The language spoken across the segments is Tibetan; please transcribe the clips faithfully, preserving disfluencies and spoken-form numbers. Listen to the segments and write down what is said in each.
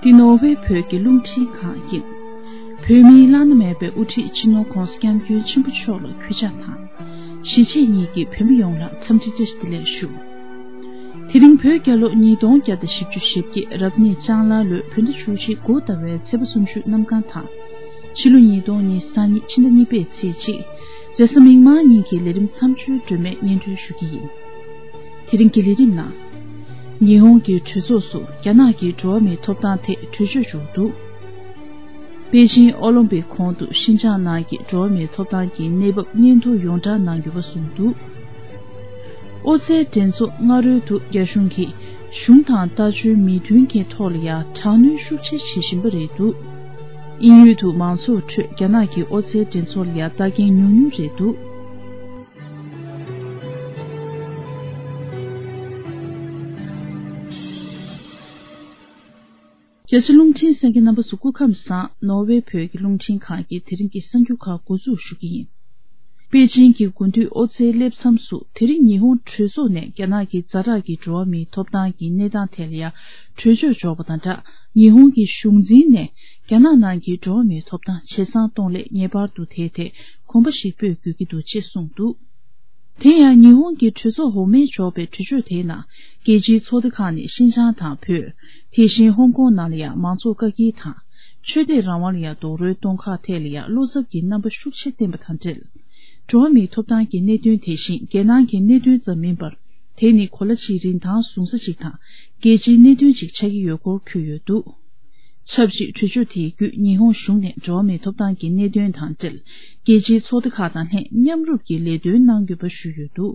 འདི་ནོར་ཝེ་བོད་ཀྱི་རླུང་འཕྲིན་ཁང་ཡིན། བོད་མིའི་བླ་ན་མེད་པའི་དབུ་ཁྲིད་སྤྱི་ནོར་༧གོང་ས་༧སྐྱབས་མགོན་ཆེན་པོ་མཆོག་ལ་གུས་ཕྱག་དང་། གཞིས་བྱེས་གཉིས་ཀྱི་བོད་མི་ཡོངས་ལ་འཚམས་འདྲི་བཀྲ་ཤིས་བདེ་ལེགས་ཞུ། དེ་རིང་བོད་རྒྱལ་ལོ་ཉིས་སྟོང་བརྒྱ་དང་བཞི་བཅུ་ཞེ་བརྒྱད་རབ་གནས་ལྕང་ལ་ལོའི་བོད་ཟླ་བཅུ་གཅིག་དགུ་ཟླ་བའི་ཚེས་པ་སུམ་ཅུ་གནམ་གང་དང་། ཕྱི་ལོ་ཉིས་སྟོང་ཉི་ཤུ་རྩ་གཉིས་ཕྱི་ཟླ་གཉིས་པའི་ཚེས་གཅིག་རེས་གཟའ་མིག་དམར་ཉིན་གྱི་ལས་རིམ་མཚམས་སྦྱོར་སྒྲོན་མེ་སྙན་སྒྲོན་ཞུ་གི་ཡིན། དེ་རིང་གི་ལས་རིམ་ནང་། ཉི་ཧོང་གི་གྲོས་ཚོགས་སུ་རྒྱ་ནག་གི་འགྲོ་བ་མིའི་ཐོབ་ཐང་ཐད་གྲོས་ཆོད་བྱུང་འདུག་པེ་ཅིང་ཨོ་ལིམ་པིག་གོང་དུ་ཤིན་ཅང་ནང་གི་འགྲོ་བ་མིའི་ཐོབ་ཐང་གི་གནས་བབ་སྙན་ཐོ་ཡོངས་བསྒྲགས་གནང་ཡོད་པ་གསུངས་འདུག་ཨོ་རྩལ་འགྲན་ཚོགས་སྔ་རོལ་དུ་རྒྱ་གཞུང་གིས་གཞུང་དང་ལྟ་སྤྱོད་མི་མཐུན་རྐྱེན་ཐོག་ལ་ཡང་དྲག་གནོན་ཤུགས་ཆེ་བྱེད་བཞིན་པ་རེད་འདུག་དབྱིན་ཡུལ་དུ་མང་ཚོགས་ཁྲོད་རྒྱ་ནག་གི་ཨོ་རྩལ་འགྲན་ཚོགས་ལ་ཡང་ལྟ་མཁན་ཉུང་ཉུང་རེད་འདུག་རྒྱ་ཆེ་རླུང་འཕྲིན་གསན་མཁན་རྣམ་པ་ཚོ་སྐུ་ཁམས་བཟང་། ནོར་ཝེ་བོད་ཀྱི་རླུང་འཕྲིན་ཁང་གི་དེ་རིང་གི་གསར་འགྱུར་ཁག་འགོ་འཛུགས་ཞུ་གི་ཡིན། པེ་ཅིང་གི་དགུན་དུས་ཨོ་རྩལ་སླེབས་མཚམས་སུ་དེ་རིང་ཉི་ཧོང་གྲོས་ཚོགས་ནས་རྒྱ་ནག་གི་ཛ་དྲག་གི་འགྲོ་བ་མིའི་ཐོབ་ཐང་གི་གནས་སྟངས་ཐད་ལ་ཡང་གྲོས་ཆོད་འཇོག་པ་དང་སྦྲགས། ཉི་ཧོང་གི་གཞུང་འཛིན་ནས་རྒྱ་ནག་ནང་གི་འགྲོ་བ་མིའི་ཐོབ་ཐང་ཇེ་བཟང་གཏོང་སླད་ངེས་པར་དུ་དེའི་ཐད་གོམ་པ་ཞིག་སྤོས་དགོས་ཀྱི་འདུག་ཅེས་གསུངས་འདུག་དེ་ཡང་ཉི་ཧོང་གི་གྲོས་ཚོགས་འོག་མས་འཇོག་པའི་གྲོས་ཆོད་དེའི་ནང་རྒྱལ་སྤྱིའི་ཚོགས་སྡེ་ཁག་ནས་ཤིན་ཅང་དང་བོད། དེ་བཞིན་ཧོང་ཀོང་ནང་ལ་ཡང་མང་གཙོ་བཀག་སྐྱིལ་དང་། ཆོས་དད་རང་དབང་ལ་ཡང་རྡོག་རོལ་གཏོང་ཁག་ཐད་ལ་ཡང་བློ་འཚབ་ཀྱི་རྣམ་པ་ཤུགས་ཆེ་བསྟན་པ་དང་འབྲེལ། འགྲོ་བ་མིའི་ཐོབ་ཐང་གི་གནད་དོན་དེ་བཞིན་རྒྱལ་ནང་གི་གནད་དོན་ཙམ་མིན་པར། དེ་ནི་གོ་ལ་གཅིག་རིན་ཐང་བཟུང་ས་གཅིག་དང་རྒྱལ་སྤྱིའི་གནད་དོན་གཅིག་ཆགས་ཀྱི་ཡོད་སྐོར་འཁོད་ཡོད་འདུག་ཆབས་ཅིག་གྲོས་ཆོད་དེའི་བརྒྱུད་ཉི་ཧོང་གཞུང་ནས་འགྲོ་བ་མིའི་ཐོབ་ཐང་གི་གནད་དོན་དང་འབྲེལ་རྒྱལ་སྤྱིའི་ཚོགས་སྡེ་ཁག་དང་ལྷན་མཉམ་རུབ་ཀྱིས་ལས་དོན་གནང་དགོས་པ་ཞུས་ཡོད་འདུག་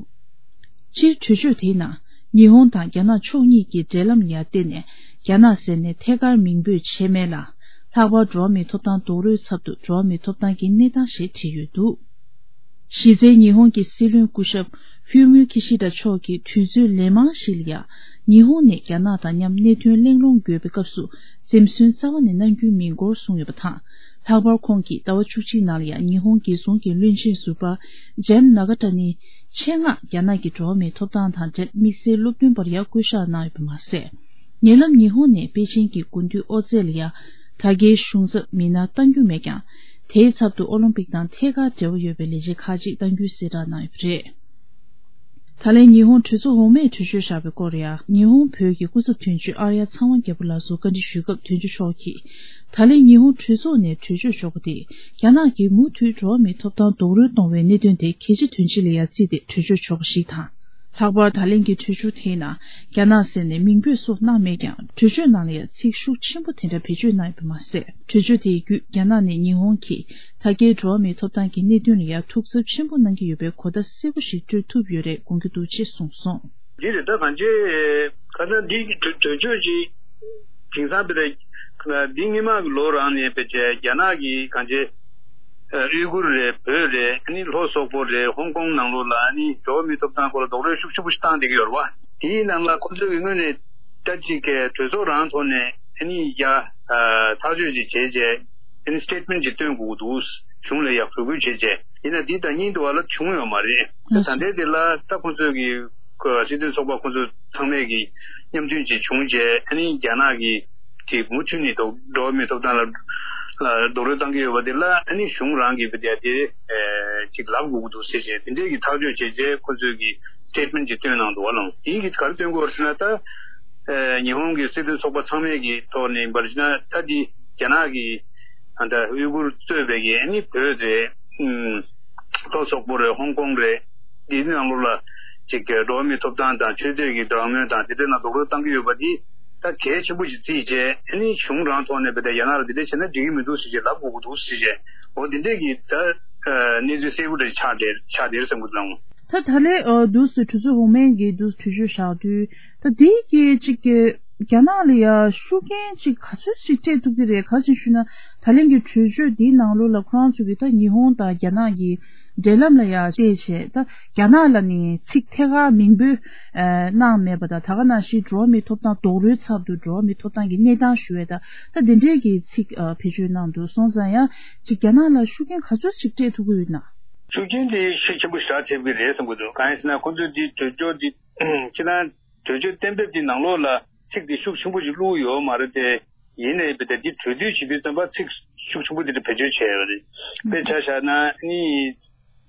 སྤྱིར་གྲོས་ཆོད་དེའི་ནང་ཉི་ཧོང་དང་རྒྱ་ནག་ཕྱོགས་གཉིས་ཀྱི་འབྲེལ་ལམ་ལ་ཡང་བརྟེན་ནས་རྒྱ་ནག་ཟེར་ནས་ཐད་ཀར་མིང་འབོད་བྱས་མེད་ལ། ལྷག་པར་འགྲོ་བ་མིའི་ཐོབ་ཐང་རྡོག་རོལ་ཚབ་ཏུ་འགྲོ་བ་མིའི་ཐོབ་ཐང་གི་གནས་སྟངས་ཞེས་བྲིས་ཡོད་འདུག་གཞི་རྩའི་ཉི་ཧོང་གི་སྲིད་བློན་སྐུ་ཞབས་ཧྥུ་མིའོ་ཁི་ཤི་ད་མཆོག་གིས་དུས་ཚོད་ལན་མང་ཞིག་ལ་ཡང་ཉི་ཧོང་ནས་རྒྱ་ནག་དང་མཉམ་གནད་དོན་གླེང་སློང་དགོས་པའི་སྐབས་སུ་འཛེམ་ཟོན་རྩ་བ་ནས་གནང་རྒྱུ་མིན་སྐོར་གསུངས་ཡོད་པ་དང་། ལྷག་པར་ཁོང་གིས་ཟླ་བ་བཅུ་གཅིག་ནང་ལ་ཡང་ཉི་ཧོང་རྒྱལ་སྲུང་གི་བློན་ཆེན་ཟུར་པ་ཇན་ནཱ་ག་ཏ་ནི་ཆེད་མངགས་རྒྱ་ནག་གི་འགྲོ་བ་མིའི་ཐོབ་ཐང་དང་འབྲེལ་དམིགས་བསལ་སློབ་སྟོན་པར་ཡང་སྐུ་ཞབས་གནང་ཡོད་པ་མ་ཟད། ཉེ་ལམ་ཉི་ཧོང་ནས་པེ་ཅིང་གི་དགུན་དུས་ཨོ་རྩེད་ལ་ཡང་ད་གའི་གཞུང་ཚབ་མི་སྣ་གཏང་རྒྱུ་མེད་ཀྱང་། དེའི་ཚབ་ཏུ་ཨོ་ལིམ་པིག་དང་ཐད་ཀར་འབྲེལ་བ་ཡོད་པའི་ལས་བྱེད་ཁག་ཅིག་གཏང་རྒྱུའི་གསལ་བསྒྲགས་གནང་ཡོད་པ་རེད། ད་ལན་ཉི་ཧོང་གྲོས་ཚོགས་འོག་མས་གྲོས་ཆོད་བཞག་པའི་སྐོར་ཡང་ཉི་ཧོང་བོད་ཀྱི་སྐུ་ཚབ་དོན་གཅོད་ཨར་ཡ་ཚངས་དབང་རྒྱལ་པོ་ལགས་སུ་བཀའ་འདྲི་ཞུས་སྐབས་དོན་གཅོད་མཆོག་གིས། ད་ལན་ཉི་ཧོང་གྲོས་ཚོགས་ནས་གྲོས་ཆོད་འཇོག་པ་དེས་རྒྱ་ནག་གིས་མུ་མཐུད་འགྲོ་བ་མིའི་ཐོབ་ཐང་རྡོག་རོལ་གཏོང་བའི་གནད་དོན་དེ་གལ་ཆེ་དོན་ཆེ་ལ་ཡང་བརྩིས་ཏེ་གྲོས་ཆོད་འཇོག་པ་ཞིག་དང་། ལྷག་པར་ད་ལན་གྱི་གྲོས་ཆོད་དེའི་ནང་རྒྱ་ནག་ཟེར་ནས་མིང་འབོད་སོགས་གནང་མེད་ཀྱང་གྲོས་ཆོད་ནང་ལ་ཡང་ཚིག་ཤུགས་ཆེན་པོ་དེ་འདྲ་བེད་སྤྱོད་གནང་ཡོད་པ་མ་ཟད། གྲོས་ཆོད་དེའི་བརྒྱུད་རྒྱ་ནག་ནས་ཉི་ཧོང་གིས་ད་གའི་འགྲོ་བ་མིའི་ཐོབ་ཐང་གི་གནད་དོན་ལ་ཡང་ཐུགས་འཚབ་ཆེན་པོ་གནང་གི་ཡོད་པའི་གོ་བརྡ་གསལ་པོ་ཞིག་སྤྲོད་ཐུབ་ཡོད་རེད་དགོངས་ཀྱི་འདུག་ཅེས་གསུངས་སོང་། འདི་རེད་ད་གང་ཅི། ཁ་སང་འདི་གྲོས་གྲོས་ཆོད་ཅིག་དེང་སང་དཔེ་ད་འདི་སྔོན་མ་གི་ལོ་རང་ནས་དཔེ་བྱས་རྒྱ་ནག་གི་གང་ཅི། ཨུ་གུར་རེད། བོད་རེད། ཨ་ནི་ལྷོ་སོག་པོ་རེད། ཧོང་ཀོང་ནང་ལོགས་ལ་ཨ་ནི་འགྲོ་བ་མིའི་ཐོབ་ཐང་སྐོར་ལ་རྡོག་རོལ་ཤུགས་ཆེན་པོ་ཞིག་བཏང་བསྡད་ཀྱི་ཡོད་རེད་བ། དེའི་ནང་ལ་ཁོ་ཚོས་ཀྱི་དངོས་ནས་ད་ཅིག་གི་གྲོས་ཚོགས་རང་ཐོག་ནས་ཨ་ནི་ཡ་ཐག་གཅོད་ཅིག་བྱས་རྗེས་ཨ་ནི་སི་ཊེ་ཊི་མེན་ཊི་ཅིག་སྟོན་དགོས་ཀྱི་འདུག་གཞུང་ལ་ཡ་འབོད་སྐུལ་བྱས་རྗེས་ཡིན་ན་འདི་ད་ཉིན་དུ་བ་ལ་བྱུང་ཡོད་མ་རེད། ད་ད་ལྟའི་དེ་ལ་ད་ཁོ་ཚོས་ཀྱི་སྲིད་དོན་ཚོགས་པ་ཁོ་ཚོ་ཚང་མས་ཀྱི་མཉམ་མཐུན་ཅིག་བྱུང་རྗེས་ཨ་ནི་རྒྱ་ནག་གི་དེ་མུ་མཐུད་ནས་འགྲོ་བ་མིའི་ཐོབ་ཐང་ལ་ལ་རྡོག་རོལ་བཏང་གི་ཡོད་པ་དེ་ལ་ཨ་ནི་གཞུང་རང་གིས་བི་དེ་དེ་ཅིག་ལབ་དགོས་ཀྱི་འདུག་ཟེར་བྱས་དེ་འདྲས་ཀྱི་ཐག་གཅོད་བྱས་རྗེས་ཁོ་ཚོས་ཀྱི་སི་ཊེ་ཊི་མེན་ཊི་ཅིག་བཏོན་གནང་འདུག་བ་ལང་། དེ་གིས་ག་རེ་སྟོན་གྱི་ཡོད་རེད་ཟེར་ན་ད་ཉི་ཧོང་གི་སྲིད་དོན་ཚོགས་པ་ཚང་མས་ཀྱི་ཐོག་ནས་ཡིན་པར་བྱས་ན་ད་འདི་རྒྱ་ནག་གི་ད་ཨུ་གུར་གཙོས་པའི་གི་ཨ་ནི་བོད་རེད། ལྷོ་སོག་པོ་རེད། ཧོང་ཀོང་རེད། འདིའི་ནང་ལོགས་ལ་ཅིག་གི་འགྲོ་བ་མིའི་ཐོབ་ཐང་དང་ཆོས་དད་ཀྱི་རང་མོས་དང་དེ་འདྲའི་ནང་རྡོག་རོལ་བཏང་གི་ཡོད་པ་འདི་ད་གལ་ཆེན་པོ་ཞིག་བརྩིས་བྱས་ཨ་ནི་གཞུང་རང་ཐོག་ནས་བལ་ཏེ་རྒྱ་ནག་ལ་འདི་འདྲ་བྱས་ན་འགྲིག་གི་མི་འདུག་ཟེར་བྱས་ལབ་དགོས་ཀྱི་འདུག་ཟེར་བྱས་འོ་འདི་འདྲས་ཀྱི་ད་གནས་ཚུལ་གསལ་པོ་འདྲ་ཆགས་བསྡད་ཆགས་བསྡད་རེད་བསམ་གྱི་འདུག་ལགས། ད་ད་ལན་འདུག་སེ་གྲོས་ཚོགས་འོག་མའི་གི་འདུག་གྲོས་ཆོད་བཞག་དུས་ད་འདི་གི་ཅིག་གི་རྒྱ་ནག་ལ་ཡ་ཤུགས་རྐྱེན་ཅིག་ག་ཚོད་ཅིག་སྤྲད་ཐུབ་ཀྱི་རེད། ག་ཅིག་ཞུས་ན་ད་ལན་གྱི་གྲོས་ཆོད་འདིའི་ནང་ལོགས་ལ་ཁོ་རང་ཚོ་གི་ད་ཉི་ཧོང་དང་རྒྱ་ནག་གི་འབྲེལ་ལམ་ལ་ཡ་བལྟས་བྱས་ད་རྒྱ་ནག་ལ་ནི་ཚིག་ཐད་ཀར་མིང་འབོད་གནང་མེད་པ་དང་ད་ག་ནང་བཞིན་འགྲོ་བ་མིའི་ཐོབ་ཐང་རྡོག་རོལ་ཚབ་ཏུ་འགྲོ་བ་མིའི་ཐོབ་ཐང་གི་གནས་སྟངས་ཞུ་བའི་ད་ད་འདི་འདྲའི་གི་ཚིག་བེད་སྤྱོད་གནང་འདུག་སོང་ཙང་ཡ་ཅིག་རྒྱ་ནག་ལ་ཤུགས་རྐྱེན་ག་ཚོད་ཅིག་སྤྲད་ཐུབ་ཀྱི་ཡོད་ན། ཤུགས་རྐྱེན་དེ་ཤུགས་ཆེན་པོ་ཞེ་དྲག་ཐེབས་ཀྱི་རེད་བསམ་གྱི་འདུག་གང་ཡིན་ཟེར་ན་ཁོ་ཚོས་འདི་གྲོས་ཆོད་འདི་སྤྱིར་བཏང་གྲོས་ཆོད་གཏན་འབེབས་འདི་ནང་ལོགས་ལ་ཚིག་འདི་ཤུགས་ཆེན་པོ་ཞིག་བླུགས་ཡོད་མ་རེད་དེ། ཡིན་ནའི་བས་ཏེ་འདི་གྲོས་བསྡུར་བྱེད་དུས་ཙམ་པ་ཚིག་ཤུགས་ཆེན་པོ་འདི་འདྲ་བེད་སྤྱོད་བྱས་ཡོད་རེད། དཔེ་ཆ་བཞག་ན་ནི་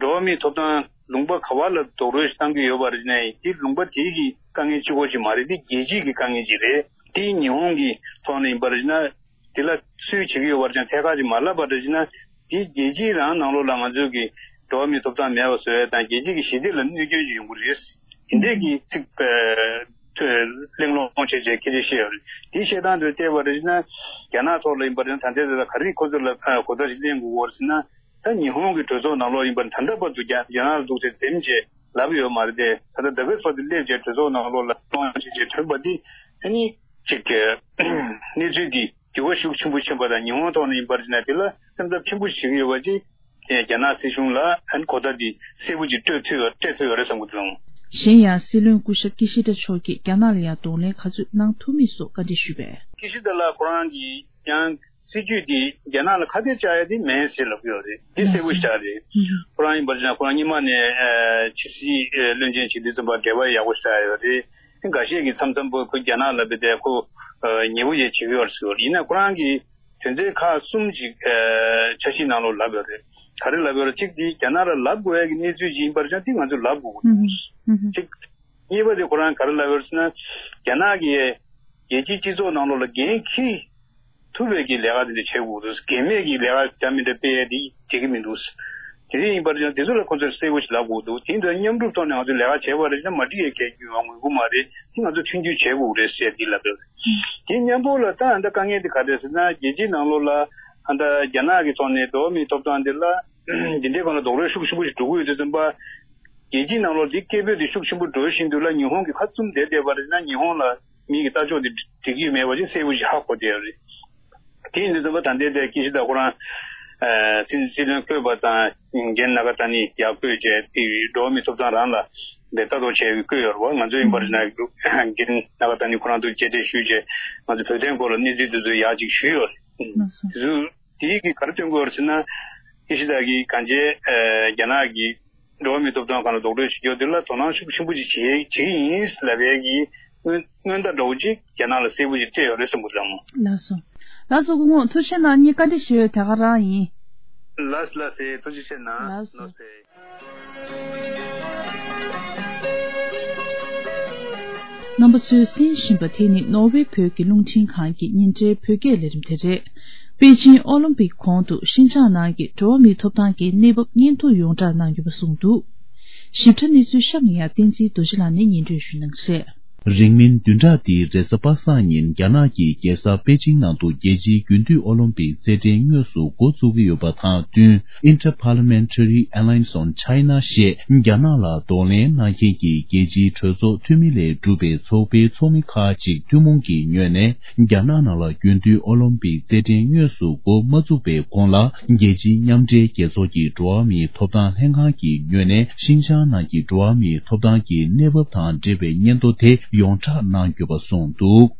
འགྲོ་བ་མིའི་ཐོབ་ཐང་ལུང་པ་ག་བ་ལ་རྡོག་རོལ་ཞིག་བཏང་གི་ཡོད་པ་རེད་ན་དེ་ལུང་པ་དེའི་གི་དཀའ་ངལ་གཅིག་པོ་ཅིག་མ་རེད། འདི་རྒྱལ་སྤྱིའི་གི་དཀའ་ངལ་ཅིག་རེད། དེ་ཉི་ཧོང་གི་ཐོག་ནས་ཡིན་པ་རེད་ན་དེ་ལ་སུས་བྱེད་ཀྱི་ཡོད་པ་རེད་ཀྱང་ཐད་ཀར་ཅིག་མ་ལབ་པ་རེད་ན་དེ་རྒྱལ་སྤྱིའི་རང་ནང་ལོགས་ལ་ང་ཚོའི་གི་འགྲོ་བ་མིའི་ཐོབ་ཐང་མེད་པ་བཟོ་ཡ་དང་རྒྱལ་སྤྱི་གི་ཞི་བདེ་ལ་གནོད་སྐྱོན་ཅིག་ཡོང་གི་རེད། དེ་འདྲས་ཀྱི་ཚིག་ཐོས་གླེང་སློང་བྱས་བྱས་སྐད་ཆ་བཤད་ཡོད་རེད། དེ་བཤད་སྟངས་དེ་བལྟས་པ་རེད་ན་རྒྱ་ནག་ཐོག་ལ་ཡིན་པ་རེད་ན་ད་ལྟའི་ཚེ་ལ་ག་རེ་ཁོ་ཚོ་ལ་གོ་བརྡ་ཞིག་གླེང་དགོས་པ་རེད་ཟེར་ན། ད་ཉི་ཧོང་གི་གྲོས་ཚོགས་ནང་ལོགས་ཡིན་པ་ད་ལྟ་བར་དུ་རྒྱ་རྒྱ་ནག་ལ་འདུག་ཚེ་འཛེམ་བྱས་ལབ་ཡོད་མ་རེད་དེ། ད་ལྟ་ད་ག་བར་དུ་སླེབས་བྱས་གྲོས་ཚོགས་ནང་ལོགས་ལ་གཏོང་བྱས་བྱས་ཐོན་པ་འདི་ཨ་ནི་ཅིག་གི་གནས་ཚུལ་འདི་འགྱུར་བ་ཤུགས་ཆེན་པོ་ཕྱིན་པ་དང་ཉི་ཧོང་ཐོག་ནས་ཡིན་པར་བྱས་ན་དེ་ལ་སེམས་འཚབ་ཆེན་པོ་བྱེད་ཀྱི་ཡོད་པ་ཅིག་རྒྱ་ནག་སྲིད་གཞུང་ལ་ཨ་ནི་གོ་བརྡ་འདི་གསལ་པོ་ཅིག་སྤྲོད་ཐུབ་ཡོད་སྤྲད་ཐུབ་ཡོད་རེད་བསམ་གྱི་འདུག་གཞན་ཡང་སྲིད་བློན་སྐུ་ཞབས་ཀི་ཤི་ད་མཆོག་གིས་རྒྱ་ནག་ལ་ཡང་གདོང་ལེན་ག་ཚོད་གནང་ཐུབ་མིན་སོགས་བཀའ་འདྲི་ཞུས་པས། ཀི་ཤི་ད་ལགས་ཁོ་རང་གིས་ཀྱང་སྲིད་ཇུས་དེ་རྒྱ་ནག་ལ་ཁ་གཏད་བཅག་ཡ་དེ་མེད་ཟེར་ལབ་ཀྱི་ཡོད་རེད། དེ་གསལ་པོ་ཞིག་རེད། ཁོ་རང་ཡིན་པར་བྱས་ན་ཁོ་རང་སྔོན་མ་ནས་ཕྱི་སྲིད་བློན་ཆེན་བྱེད་དུས་ཙམ་པ་འབྲེལ་བ་ཡག་པོ་ཞིག་ཡོད་རེད། དེ་འགའ་ཤས་ཀྱིས་མཚམས་མཚམས་པོ་ཁོ་རྒྱ་ནག་ལ་བས་ཏེ་ཁོ་ཉེ་པོ་ཡས་བྱེད་ཀྱི་ཡོད་རེད་ཟེར་བ་རེད། ཡིན་ན་ཁོ་རང་གིས་དོན་ཚན་ཁག་གསུམ་ཅིག་འཆར་གཞིའི་ནང་ལོགས་ལབ་ཡོད་རེད། ག་རེ་ལབ་ཡོད་རེད། གཅིག་དེ་རྒྱ་ནག་ལ་ལབ་དགོས་ཡ་གི་གནས་ཚུལ་ཅིག་ཡིན་པར་བྱས་ན་དེ་ང་ཚོས་ལབ་དགོས་ཀྱི་འདུག་གཅིག་གཉིས་པ་དེ་ཁོ་རང་ག་རེ་ལབ་ཡོད་ཟེར་ན། རྒྱ་ནག་གིས་རྒྱལ་སྤྱིའི་སྤྱི་ཚོགས་ནང་ལོགས་ལ་འགན་འཁྱེར་ཐུབ་པའི་གི་ལས་ཀ་དེ་འདྲ་བྱེད་དགོས་འདུག་འགན་མེད་ཀྱི་ལས་ཀ་འདྲ་མི་འདྲ་སྤེལ་ཡས་དེ་འགྲིག་གི་མི་འདུག་དེ་འདྲ་ཡིན་པར་བྱས་ན་དེ་ཚོ་ལ་ཁོ་ཚོར་གསལ་པོ་ཞིག་ལབ་དགོས་འདུག་དེ་འདྲ་མཉམ་རུབ་ཐོག་ནས་ང་ཚོས་ལས་ཀ་བྱས་པ་རེད་ན་མ་འགྲིག་ཡས་གལ་ཡོད་པ་ངེས་ཀྱི་མ་རེད། དེ་ང་ཚོ་མཐུན་འགྱུར་བྱེད་དགོས་རེད་ཟེར་འདི་ལབ་ཡོད་རེད། དེ་མཉམ་པོ་ལ་ད་ཨ་ད་དཀའ་ངལ་དེ་ག་རེ་ཟེར་ན་རྒྱལ་སྤྱིའི་ནང་ལོགས་ལ་ཨ་ད་རྒྱ་ནག་གི་ཐོག་ནས་འགྲོ་བ་མིའི་ཐོབ་ཐང་དེ་ལ་འདི་འདྲའི་སྒང་ལ་རྡོག་རོལ་ཤུགས་ཆེན་པོ་ཞིག་འགྲོ་གི་ཡོད་དུས་ཙམ་པ། རྒྱལ་སྤྱིའི་ནང་ལོགས་འདི་སྐད་འབོད་དེ་ཤུགས་ཆེན་པོ་འགྲོ་བཞིན་དུ་ལ་ཉི་ཧོང་གི་ཁ་བཙུམ་བསྡད་བསྡད་པ་རེད་ན་ཉི་ཧོང་ལ་མི་གི་ལྟ་ཕྱོགས་དེ་འགྲིག་གི་ཡོད་མེད་པ་ཅིག་གསལ་པོ་ཞིག་ཧ་གོ་བསྡད་ཡོད་རེད། དེ་ཡིན་དུས་ཙམ་པ་ད་ལྟའི་དེ་ཀི་ཤི་ད་ཁོ་རང་སྲིད་སྲིད་བློན་བསྐོས་པ་དང་རྒན་ན་ག་ཏ་ནི་ཡར་བསྐོས་བྱས་དེ་འགྲོ་བ་མིའི་ཐོབ་ཐང་རང་ལ་དེ་ལྟ་རྟོག་བྱས་བསྐོས་ཡོད་རེད་བ། ང་ཚོ་ཡིན་པར་ན་རྒན་ན་ག་ཏ་ནི་ཁོ་རང་ཚོ་མཇལ་འཕྲད་ཞུས་བྱས་ང་ཚོ་བོད་དོན་སྐོར་ལ་གནས་ཚུལ་དེ་ཚོ་ཡར་ཅིག་ཞུས་ཡོད་རེད། དེ་ཚོ་དེ་གི་ག་རེ་སྟོན་དགོས་རེད་ཟེར་ན། ཀི་ཤི་ད་གིས་གང་བྱས་རྒྱ་ནག་གི་འགྲོ་བ་མིའི་ཐོབ་ཐང་སྒང་ལ་རྡོག་རོལ་བྱེད་རྒྱུ་དེ་ལ་དོ་སྣང་ཤུགས་ཆེན་པོ་ཅིག་བྱེད་བྱེད་ཀྱི་ཡིན་ལབ་ཡས་ཀྱི་སྔོན་སྔོན་བརྡ་འདྲ་བོ་ཅིག་རྒྱ་ནག་ལ་གསལ་པོ་ཅིག་སྤྲད་ཡོད་རེད་བསམ་གྱི་འདུག་ལགས་མོ། ལགས་སོ། ལགས་སོ་སྐུ་ངོ་ཐུགས་རྗེ་གནང་། ངས་བཀའ་འདྲི་ཞུ་ཡས་དེ་ག་རང་ཡིན། ལགས་ལགས་སེ་ཐུགས་རྗེ་ཆེ་གནང་། ལགས་སོ། ལགས་སེ། རྣམ་པ་ཚོས་གསན་བཞིན་པ་དེ་ནི་ནོར་ཝེ་བོད་ཀྱི་རླུང་འཕྲིན་ཁང་གི་ཉིན་རེའི་བོད་སྐད་ལས་རིམ་དེ་རེད། པེ་ཅིང་ཨོ་ལིམ་པིག་གོང་དུ་ཤིན་ཅང་ནང་གི་འགྲོ་བ་མིའི་ཐོབ་ཐང་གི་གནས་བབ་སྙན་ཐོ་ཡོངས་བསྒྲགས་གནང་ཡོད་པ་གསུངས་འདུག་ཞིབ་ཕྲ་གནས་ཚུལ་གཤམ་ནས་ཡང་བསྟན་འཛིན་རྡོ་རྗེ་ལགས་ནས་སྙན་སྒྲོན་ཞུ་གནང་གི་རེད། རིང་མིན་བདུན་ཕྲག་འདིའི་རེས་གཟའ་པ་སངས་ཉིན་རྒྱ་ནག་གི་རྒྱལ་ས་པེ་ཅིང་ནང་དུ་རྒྱལ་སྤྱིའི་རྒྱུན་མཐུད་ཨོ་ལིམ་པིག་རྩེད་འགྲན་དངོས་སུ་འགོ་བཙུགས་ཀྱི་ཡོད་པ་དང་བསྟུན། Inter-Parliamentary Alliance on China ཞེས་རྒྱ་ནག་ལ་གདོང་ལེན་གནང་མཁན་གྱི་རྒྱལ་སྤྱིའི་གྲོས་ཚོགས་འཐུས་མི་ལས་གྲུབ་པའི་ཚོགས་པའི་ཚོགས་མི་ཁག་ཅིག་ཐུན་མོང་གི་ངོས་ནས་རྒྱ་ནག་ནང་ལ་རྒྱུན་མཐུད་ཨོ་ལིམ་པིག་རྩེད་འགྲན་དངོས་སུ་འགོ་མ་བཙུགས་པའི་གོང་ལ། རྒྱལ་སྤྱིའི་མཉམ་འབྲེལ་རྒྱལ་ཚོགས་ཀྱི་འགྲོ་བ་མིའི་ཐོབ་ཐང་ལྷན་ཁང་གི་ངོས་ནས་ཤིན་ཅང་ནང་གི་འགྲོ་བ་མིའི་ཐོབ་ཐང་གི་གནས་བབ་དང་འབྲེལ་བའི་སྙན་ཐོ་དེ་ཡོངས་བསྒྲགས་གནང་ཡོད་པ་གསུངས་འདུག་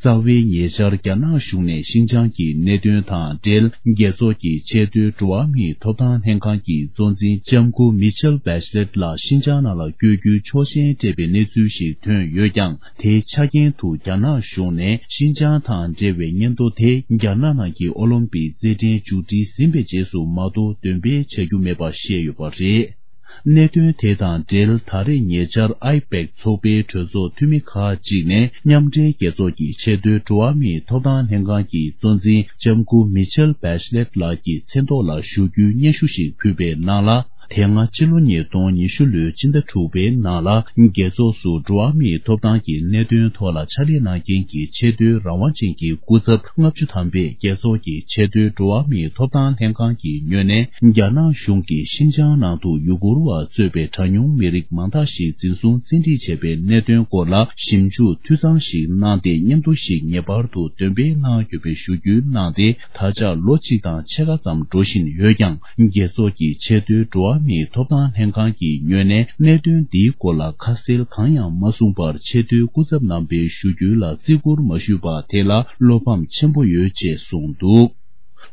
རྩ་བའི་ཉེ་ཆར་རྒྱ་ནག་གཞུང་ནས་ཤིན་ཅང་གི་གནད་དོན་དང་འབྲེལ། རྒྱལ་ཚོགས་ཀྱི་ཆེས་མཐོའི་འགྲོ་བ་མིའི་ཐོབ་ཐང་ལྷན་ཁང་གི་གཙོ་འཛིན་ལྕམ་སྐུ་མི་ཆེལ་བེ་ཆི་ལེད་ལ་ཤིན་ཅང་ནང་ལ་བསྐྱོད་རྒྱུའི་ཆོག་མཆན་སྤྲད་པའི་གནས་ཚུལ་ཞིག་ཐོན་ཡོད་ཀྱང་། དེའི་ཆ་རྐྱེན་དུ་རྒྱ་ནག་གཞུང་ནས་ཤིན་ཅང་དང་འབྲེལ་བའི་སྙན་ཐོ་དེ་རྒྱ་ནག་ནང་གི་ཨོ་ལིམ་པིག་རྩེད་འགྲན་མཇུག་སྒྲིལ་ཟིན་པའི་རྗེས་སུ་མ་གཏོགས་འདོན་སྤེལ་བྱ་རྒྱུ་མེད་པ་བཤད་ཡོད་པ་རེད། གནད་དོན་དེ་དང་འབྲེལ། ད་རེས་ཉེ་ཆར་ཨའི་པེག་ཚོགས་པའི་གྲོས་ཚོགས་འཐུས་མི་ཁག་ཅིག་ནས་མཉམ་འབྲེལ་རྒྱལ་ཚོགས་ཀྱི་ཆེས་མཐོའི་འགྲོ་བ་མིའི་ཐོབ་ཐང་ལྷན་ཁང་གི་གཙོ་འཛིན་ལྕམ་སྐུ་མི་ཆེལ་བེ་ཆི་ལེད་ལགས་ཀྱི་མཚན་ཐོག་ལ་ཞུ་རྒྱུའི་སྙན་ཞུ་ཞིག་ཕུལ་བའི་ནང་ལ། དེ་སྔ་ཕྱི་ལོ་ཉིས་སྟོང་ཉི་ཤུ་ལོའི་ཕྱི་ཟླ་དྲུག་པའི་ནང་ལ། རྒྱལ་ཚོགས་སུ་འགྲོ་བ་མིའི་ཐོབ་ཐང་གི་གནད་དོན་ཐོག་ལ་ཕྱག་ལས་གནང་མཁན་གྱི་ཆེས་མཐོའི་རང་དབང་ཅན་གྱི་སྐུ་ཚབ་ལྔ་བཅུ་ཐམ་པས་རྒྱལ་ཚོགས་ཀྱི་ཆེས་མཐོའི་འགྲོ་བ་མིའི་ཐོབ་ཐང་ལྷན་ཁང་གི་ངོས་ནས། རྒྱ་ནག་གཞུང་གིས་ཤིན་ཅང་ནང་དུ་ཡུ་གུར་བ་གཙོས་པའི་གྲངས་ཉུང་མི་རིགས་མང་དག་ཞིག་འཛིན་བཟུང་བཙན་ཁྲིད་བྱས་པའི་གནད་དོན་སྐོར་ལ་ཞིབ་འཇུག་འཐུས་ཚང་ཞིག་གནང་སྟེ། སྙན་ཐོ་ཞིག་ངེས་པར་དུ་འདོན་སྤེལ་གནང་དགོས་པའི་ཞུ་རྒྱུ་གནང་སྟེ། ད་ཆ་ལོ་གཅིག་དང་ཕྱེད་ཀ་ཙམ་འགྲོ་བཞིན་ཡོད་ཀྱང་། རྒྱལ་ཚོགས་ཀྱི་ཆེས་མཐོའི་འགྲོ་བ་མིའི་ཐོབ་ཐང་ལྷན་ཁང་གི་ངོས་ནས་གནད་དོན་འདིའི་སྐོར་ལ་ཁ་གསལ་གང་ཡང་མ་གསུངས་པར། ཆེས་མཐོའི་སྐུ་ཚབ་རྣམ་པའི་ཞུ་རྒྱུ་ལ་བརྩི་བཀུར་མ་ཞུས་པ་དེ་ལ་བློ་ཕམ་ཆེན་པོ་ཡོད་ཅེས་གསུངས་འདུག་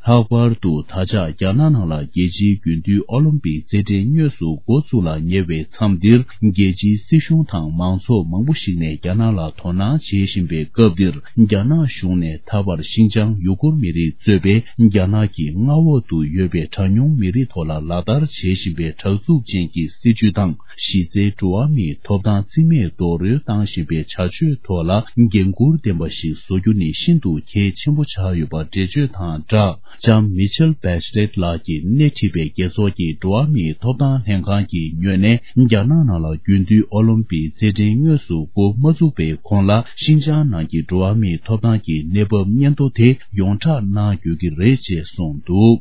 ལྷག་པར་དུ་ད་ཆ་རྒྱ་ནག་ནང་ལ་རྒྱལ་སྤྱིའི་རྒྱུན་མཐུད་ཨོ་ལིམ་པིག་རྩེད་འགྲན་དངོས་སུ་འགོ་བཙུགས་ལ་ཉེ་བའི་མཚམས་འདིར། རྒྱལ་སྤྱིའི་སྲིད་གཞུང་དང་མང་ཚོགས་མང་པོ་ཞིག་ནས་རྒྱ་ནག་ལ་དོ་སྣང་བྱེད་བཞིན་པའི་སྐབས་འདིར། རྒྱ་ནག་གཞུང་ནས་ད་བར་ཤིན་ཅང་ཡུ་གུར་མི་རིགས་གཙོས་པའི་རྒྱ་ནག་གི་མངའ་འོག་ཏུ་ཡོད་པའི་གྲངས་ཉུང་མི་རིགས་ཐོག་ལ་ལག་བསྟར་བྱེད་བཞིན་པའི་དྲག་རྩུབ་ཅན་གྱི་སྲིད་བྱུས་དང་། གཞི་རྩའི་འགྲོ་བ་མིའི་ཐོབ་ཐང་རྩིས་མེད་རྡོག་རོལ་བཏང་བཞིན་པའི་བྱ་སྤྱོད་ཐོག་ལ་འགན་འཁུར་ལྡན་པ་ཞིག་བཟོ་རྒྱུ་ནི་ཤིན་ཏུ་གལ་ཆེན་པོ་ཆགས་ཡོད་པ་འགྲེལ་བརྗོད་དང་སྦྲགས། ལྕམ་མི་ཆེལ་བེ་ཆི་ལེད་ལགས་ཀྱིས་སྣེ་ཁྲིད་པའི་རྒྱལ་ཚོགས་ཀྱི་འགྲོ་བ་མིའི་ཐོབ་ཐང་ལྷན་ཁང་གི་ངོས་ནས། རྒྱ་ནག་ནང་ལ་རྒྱུན་མཐུད་ཨོ་ལིམ་པིག་རྩེད་འགྲན་དངོས་སུ་འགོ་མ་བཙུགས་པའི་གོང་ལ། ཤིན་ཅང་ནང་གི་འགྲོ་བ་མིའི་ཐོབ་ཐང་གི་གནས་བབ་སྙན་ཐོ་དེ་ཡོངས་བསྒྲགས་གནང་དགོས་ཀྱི་རེད་ཅེས་གསུངས་འདུག།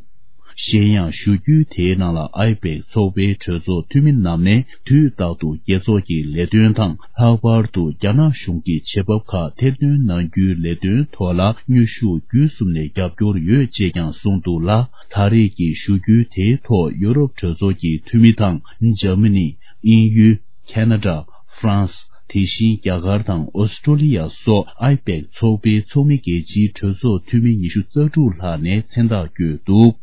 གཞན་ཡང་། བཞུགས་རྒྱུན་དེའི་ནང་ལ་ཨའི་པེག་ཚོགས་པའི་གྲོས་ཚོགས་འཐུས་མི་རྣམས་ནས་དུས་རྟག་ཏུ་རྒྱལ་ཚོགས་ཀྱི་ལས་དོན་དང་། ལྷག་པར་དུ་རྒྱ་ནག་གཞུང་གི་བྱེད་བབ་ཁག་ཐེར་འདོན་གནང་རྒྱུའི་ལས་དོན་ཐོག་ལ་དངོས་ཤུགས་བརྒྱུད་གསུམ་ནས་རྒྱབ་སྐྱོར་ཡོད་ཅེས་ཀྱང་གསུངས་འདུག་ལ། ད་རེས་ཀྱི་བཞུགས་རྒྱུན་དེའི་ཐོག་ཡུ་རོབ་གྲོས་ཚོགས་ཀྱི་འཐུས་མི་དང་། འཇར་མ་ནི། དབྱིན་ཡུལ། ཁེ་ན་ཌ། ཧྥ་རན་སི། དེ་བཞིན་རྒྱ་གར་དང་ཨོ་སི་ཀྲོ་ལི་ཡ་སོགས་ཨའི་པེག་ཚོགས་པའི་ཚོགས་མི་རྒྱལ་སྤྱིའི་གྲོས་ཚོགས་འཐུས་མི་ཉི་ཤུ་རྩ་དྲུག་ལྷག་ནས་མཚན་རྟགས་བཀོད་འདུག།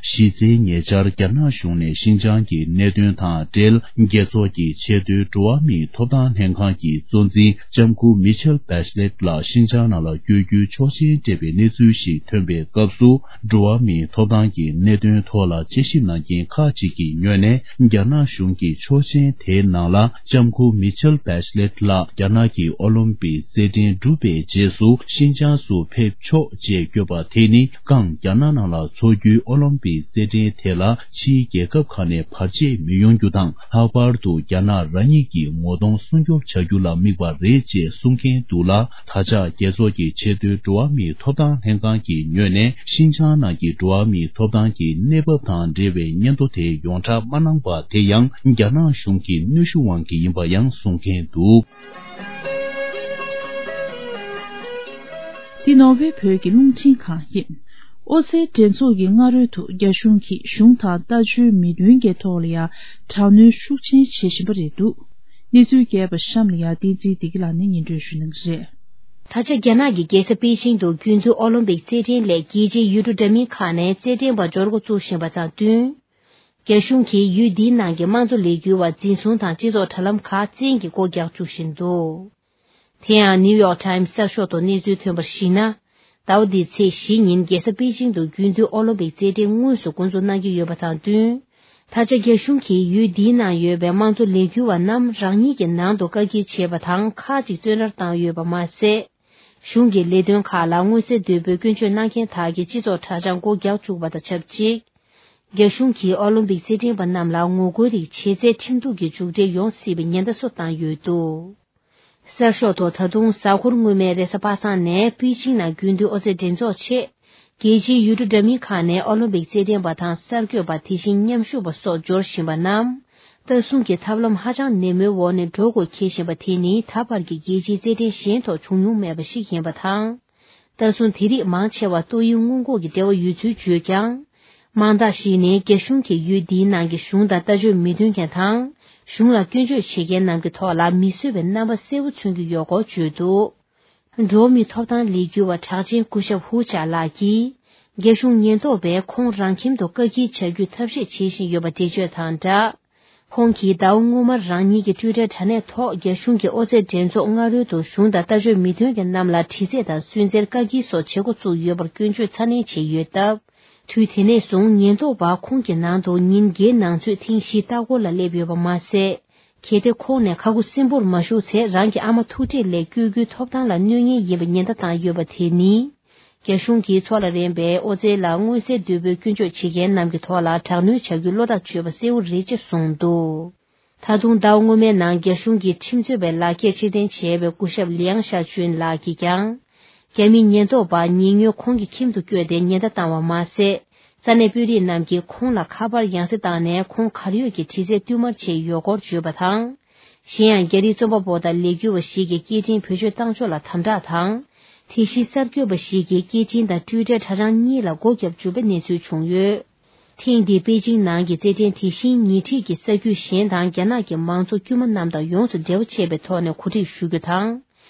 གཞི་རྩའི་ཉེ་ཆར་རྒྱ་ནག་གཞུང་ནས་ཤིན་ཅང་གི་གནད་དོན་དང་འབྲེལ། རྒྱལ་ཚོགས་ཀྱི་ཆེས་མཐོའི་འགྲོ་བ་མིའི་ཐོབ་ཐང་ལྷན་ཁང་གི་གཙོ་འཛིན་ལྕམ་སྐུ་མི་ཆེལ་བེ་ཆི་ལེད་ལགས་ཤིན་ཅང་ནང་ལ་བསྐྱོད་རྒྱུའི་ཆོག་མཆན་སྤྲད་པའི་གནས་ཚུལ་ཞིག་ཐོན་པའི་སྐབས་སུ། འགྲོ་བ་མིའི་ཐོབ་ཐང་གི་གནད་དོན་ཐོག་ལ་དཔྱད་ཞིབ་གནང་མཁན་ཁག་ཅིག་གི་ངོས་ནས། རྒྱ་ནག་གཞུང་གི་ཆོག་མཆན་དེའི་ནང་ལ། ལྕམ་སྐུ་མི་ཆེལ་བེ་ཆི་ལེད་ལགས་རྒྱ་ནག་གི་ཨོ་ལིམ་པིག་རྩེད་འགྲན་གྲུབ་པའི་རྗེས་སུ་ཤིན་ཅང་སུ་ཕེབས་ཆོག་ཅེས་བཀོད་པ་དེ་ནི། ཀང་རྒྱ་ནག་ནང་ལ་འཚོགས་རྒྱུའི་ཨོ་ལིམ་པིག་རྩེད་འགྲན་དེ་ལ་ཕྱིའི་རྒྱལ་ཁབ་ཁག་ནས་བར་ཆད་མི་ཡོང་རྒྱུ་དང་། ལྷག་པར་དུ་རྒྱ་ནག་རང་ཉིད་ཀྱི་ངོ་གདོང་སྲུང་སྐྱོབ་བྱ་རྒྱུ་ལ་དམིགས་པ་རེད་ཅེས་གསུང་མཁན་འདུག་ལ། ད་ཆ་རྒྱལ་ཚོགས་ཀྱི་ཆེས་མཐོའི་འགྲོ་བ་མིའི་ཐོབ་ཐང་ལྷན་ཁང་གི་ངོས་ནས། ཤིན་ཅང་ནང་གི་འགྲོ་བ་མིའི་ཐོབ་ཐང་གི་གནས་བབ་དང་འབྲེལ་བའི་སྙན་ཐོ་དེ་ཡོངས་བསྒྲགས་མ་གནང་པ་དེ་ཡང་། རྒྱ་ནག་གཞུང་གི་གནོན་ཤུགས་དབང་གིས་ཡིན་པ་ཡང་གསུང་མཁན་འདུག། འདི་ནོར་ཝེ་བོད་ཀྱི་རླུང་འཕྲིན་ཁང་ཡིན། ཨོ་རྩལ་འགྲན་ཚོགས་ཀྱི་སྔ་རོལ་དུ་རྒྱ་གཞུང་གིས་གཞུང་དང་ལྟ་སྤྱོད་མི་མཐུན་གྱི་ཐོག་ལ་ཡང་དྲག་གནོན་ཤུགས་ཆེན་བྱེད་བཞིན་པ་རེད་འདུག། གནས་ཚུལ་རྒྱས་པ་གཤམ་ལ་ཡང་བསྟན་འཛིན་བདེ་སྐྱིད་ལགས་ནས་སྙན་སྒྲོན་ཞུ་གནང་གི་རེད། ད་ཆ་རྒྱ་ནག་གི་རྒྱལ་ས་པེ་ཅིང་དུ་རྒྱུན་མཐུད་ཨོ་ལིམ་པིག་རྩེད་འགྲན་སླད་རྒྱལ་སྤྱིའི་ཡུལ་གྲུ་འདྲ་མིན་ཁག་ནས་རྩེད་འགྲན་པ་འབྱོར་འགོ་བཙུགས་བཞིན་པ་དང་བསྟུན། རྒྱ་གཞུང་གིས་ཡུལ་འདིའི་ནང་གི་དམངས་གཙོ་ལས་འགུལ་བ་འཛིན་བཟུང་དང་སྤྱི་ཚོགས་དྲ་ལམ་ཁག་བཙན་གྱིས་སྒོ་རྒྱག་བཅུག་བཞིན་འདུག། དེ་ཡང་ནིའུ་ཡོག་ཊའིམ་གསར་ཤོག་ཐོག་གནས་ཚུལ་ཐོན་པར་གཞིགས་ན། ཟླ་བ་འདིའི་ཚེས་བཞི་ཉིན་རྒྱལ་ས་པེ་ཅིང་དུ་རྒྱུན་མཐུད་ཨོ་ལིམ་པིག་རྩེད་འགྲན་དངོས་སུ་འགོ་འཛུགས་གནང་གི་ཡོད་པ་དང་བསྟུན། ད་ཆ་རྒྱ་གཞུང་གིས་ཡུལ་འདིའི་ནང་ཡོད་པའི་དམངས་གཙོ་ལས་འགུལ་བ་རྣམས་རང་ཉིད་ཀྱི་ནང་དུ་བཀག་སྐྱིལ་བྱས་པ་དང་ཁག་ཅིག་བཙོན་རར་བཏང་ཡོད་པ་མ་ཟད། གཞུང་གི་ལས་དོན་ཁག་ལ་མངོན་གསལ་དོད་པོས་སྐྱོན་བརྗོད་གནང་མཁན་དག་གི་སྤྱི་ཚོགས་དྲ་བྱང་སྒོ་རྒྱག་བཅུག་པ་དང་ཆབས་ཅིག། རྒྱ་གཞུང་གིས་ཨོ་ལིམ་པིག་རྩེད་འགྲན་པ་རྣམས་ལ་ངོ་རྒོལ་རིགས་བྱས་ཚེ་ཁྲིམས་གཏུག་གི་མཇུག་འབྲས་ཡོང་སྲིད་པའི་ཉེན་བརྡ་སོགས་བཏང་ཡོད་འདུག། གསར་ཤོག་ཐོག་ད་དུང་གཟའ་འཁོར་སྔོན་མའི་རེས་གཟའ་པ་སངས་ནས་པེ་ཅིང་ནང་རྒྱུན་མཐུད་ཨོ་རྩལ་འགྲན་ཚོགས་ཆེད། རྒྱལ་སྤྱིའི་ཡུལ་གྲུ་འདྲ་མིན་ཁག་ནས་ཨོ་ལིམ་པིག་རྩེད་འགྲན་པ་དང་གསར་འགོད་པ་དེ་བཞིན་མཉམ་ཞུགས་པ་སོགས་འབྱོར་བཞིན་པ་རྣམས། ལྟ་སྲུང་གི་ཐབས་ལམ་ཧ་ཅང་ནན་མོའི་འོག་ནས་འགྲོ་དགོས་འཁེལ་བཞིན་པ་དེ་ནི་ད་བར་གྱི་རྒྱལ་སྤྱིའི་རྩེད་འགྲན་གཞན་ཐོག་བྱུང་མྱོང་མེད་པ་ཞིག་ཡིན་པ་དང་། ལྟ་སྲུང་དེ་རིགས་མང་ཆེ་བ་ཏོག་དབྱིབས་སྔོན་འགོག་གི་འབྲེལ་བ་ཡོད་ཚུལ་བརྗོད་ཀྱང་། མང་དག་ཞིག་ནས་རྒྱ་གཞུང་གིས་ཡུལ་འདིའི་ནང་གི་གཞུང་དང་ལྟ་སྤྱོད་མི་མཐུན་མཁན་དང་། གཞུང་ལ་སྐྱོན་བརྗོད་བྱེད་མཁན་རྣམས་ཀྱི་ཐོག་ལ་མི་བཟོད་པའི་རྣམ་པ་གསལ་པོ་མཚོན་གྱི་ཡོད་སྐོར་བརྗོད་འདུག། འགྲོ་བ་མིའི་ཐོབ་ཐང་ལས་འགུལ་བ་གྲགས་ཅན་སྐུ་ཞབས་ཧུ་ཅཱ་ལགས་ཀྱིས། རྒྱ་གཞུང་ཉེན་རྟོག་པས་ཁོང་རང་ཁྱིམ་དུ་བཀག་སྐྱིལ་བྱ་རྒྱུའི་ཐབས་ཤེས་བྱེད་བཞིན་ཡོད་པ་འགྲེལ་བརྗོད་དང་སྦྲགས། ཁོང་གིས་ཟླ་བ་སྔོན་མར་རང་ཉིད་ཀྱི་ཊུའི་ཊར་དྲ་གནས་ཐོག་རྒྱ་གཞུང་གིས་ཨོ་རྩལ་འགྲན་ཚོགས་སྔ་རོལ་དུ་གཞུང་དང་ལྟ་སྤྱོད་མི་མཐུན་མཁན་རྣམས་ལ་དྲི་རྩད་དང་སུན་གཙེར་བཀག་སྐྱིལ་སོགས་བྱེད་འགོ་བཙུགས་ཡོད་པར་སྐྱོན་བརྗོད་ཚ་ནན་བྱས་ཡོད་སྟབས། དུས་དེ་ནས་བཟུང་ཉེན་རྟོག་པ་ཁོང་གི་ནང་དུ་ཉིན་བརྒྱད་ནང་ཚུད་ཐེངས་བཞི་ལྟ་སྐོར་ལ་སླེབས་ཡོད་པ་མ་ཟད། གལ་ཏེ་ཁོང་ནས་ཁ་ཁུ་སིམ་པོར་མ་བཞུགས་ཚེ་རང་གི་ཨ་མ་ཐུག་འཕྲད་སླད་བསྐྱོད་རྒྱུའི་ཐོབ་ཐང་ལ་གནོད་ངེས་ཡིན་པའི་ཉེན་བརྡ་བཏང་ཡོད་པ་དེ་ནི། རྒྱ་གཞུང་གིས་ཚོགས་ལ་རན་པའི་ཨོ་རྩལ་ལ་མངོན་གསལ་དོད་པོས་སྐྱོན་བརྗོད་བྱེད་མཁན་རྣམས་ཀྱི་ཐོག་ལ་དྲག་གནོན་བྱ་རྒྱུའི་བློ་ཐག་ཆོད་པ་གསལ་བོ་རེད་ཅེས་གསུངས་འདུག། ད་དུང་ཟླ་བ་སྔོན་མའི་ནང་རྒྱ་གཞུང་གིས་ཁྲིམས་རྩོད་པའི་ལག་ཁྱེར་ཕྱིར་འཐེན་བྱས་པའི་སྐུ་ཞབས་ལིའང་ཤ་ཅུན་ལགས་ཀྱིས་ཀྱང་། རྒྱ་མིའི་ཉེན་རྟོག་པ་ཉེ་སྔོན་ཁོང་གི་ཁྱིམ་དུ་བསྐྱོད་དེ་ཉེན་བརྡ་བཏང་བ་མ་ཟད། ས་གནས་དཔོན་རིགས་རྣམས་ཀྱིས་ཁོང་ལ་ཁ་པར་ཡང་སེ་བཏང་ནས་ཁོང་གར་ཡོད་ཀྱི་དྲི་རྩད་བསྟུད་མར་བྱས་ཡོད་སྐོར་བརྗོད་པ་དང་། གཞན་ཡང་རྒྱ་རིགས་རྩོམ་པ་པོ་དང་ལས་འགུལ་བ་ཞིག་གིས་སྐད་འཕྲིན་བེད་སྤྱོད་བཏང་ཕྱོགས་ལ་དམ་དྲག་དང་། དེ་བཞིན་གསར་འགོད་པ་ཞིག་གིས་སྐད་འཕྲིན་དང་ཊུའི་ཊར་དྲ་བྱང་གཉིས་ལ་སྒོ་བརྒྱབ་བཅུག་པའི་གནས་ཚུལ་བྱུང་ཡོད། ཐེངས་འདིའི་པེ་ཅིང་ནང་གི་རྩེད་འགྲན་དེ་བཞིན་ཉེ་འཁྲིས་ཀྱི་ས་རྒྱུད་གཞན་དང་རྒྱ་ནག་གི་མང་གཙོ་དཀྱུས་མ་རྣམས་དང་ཡོངས་སུ་འབྲེལ་བ་བཅད་པའི་ཐོག་ནས་གོ་སྒྲིག་ཞུ་རྒྱུ་དང་།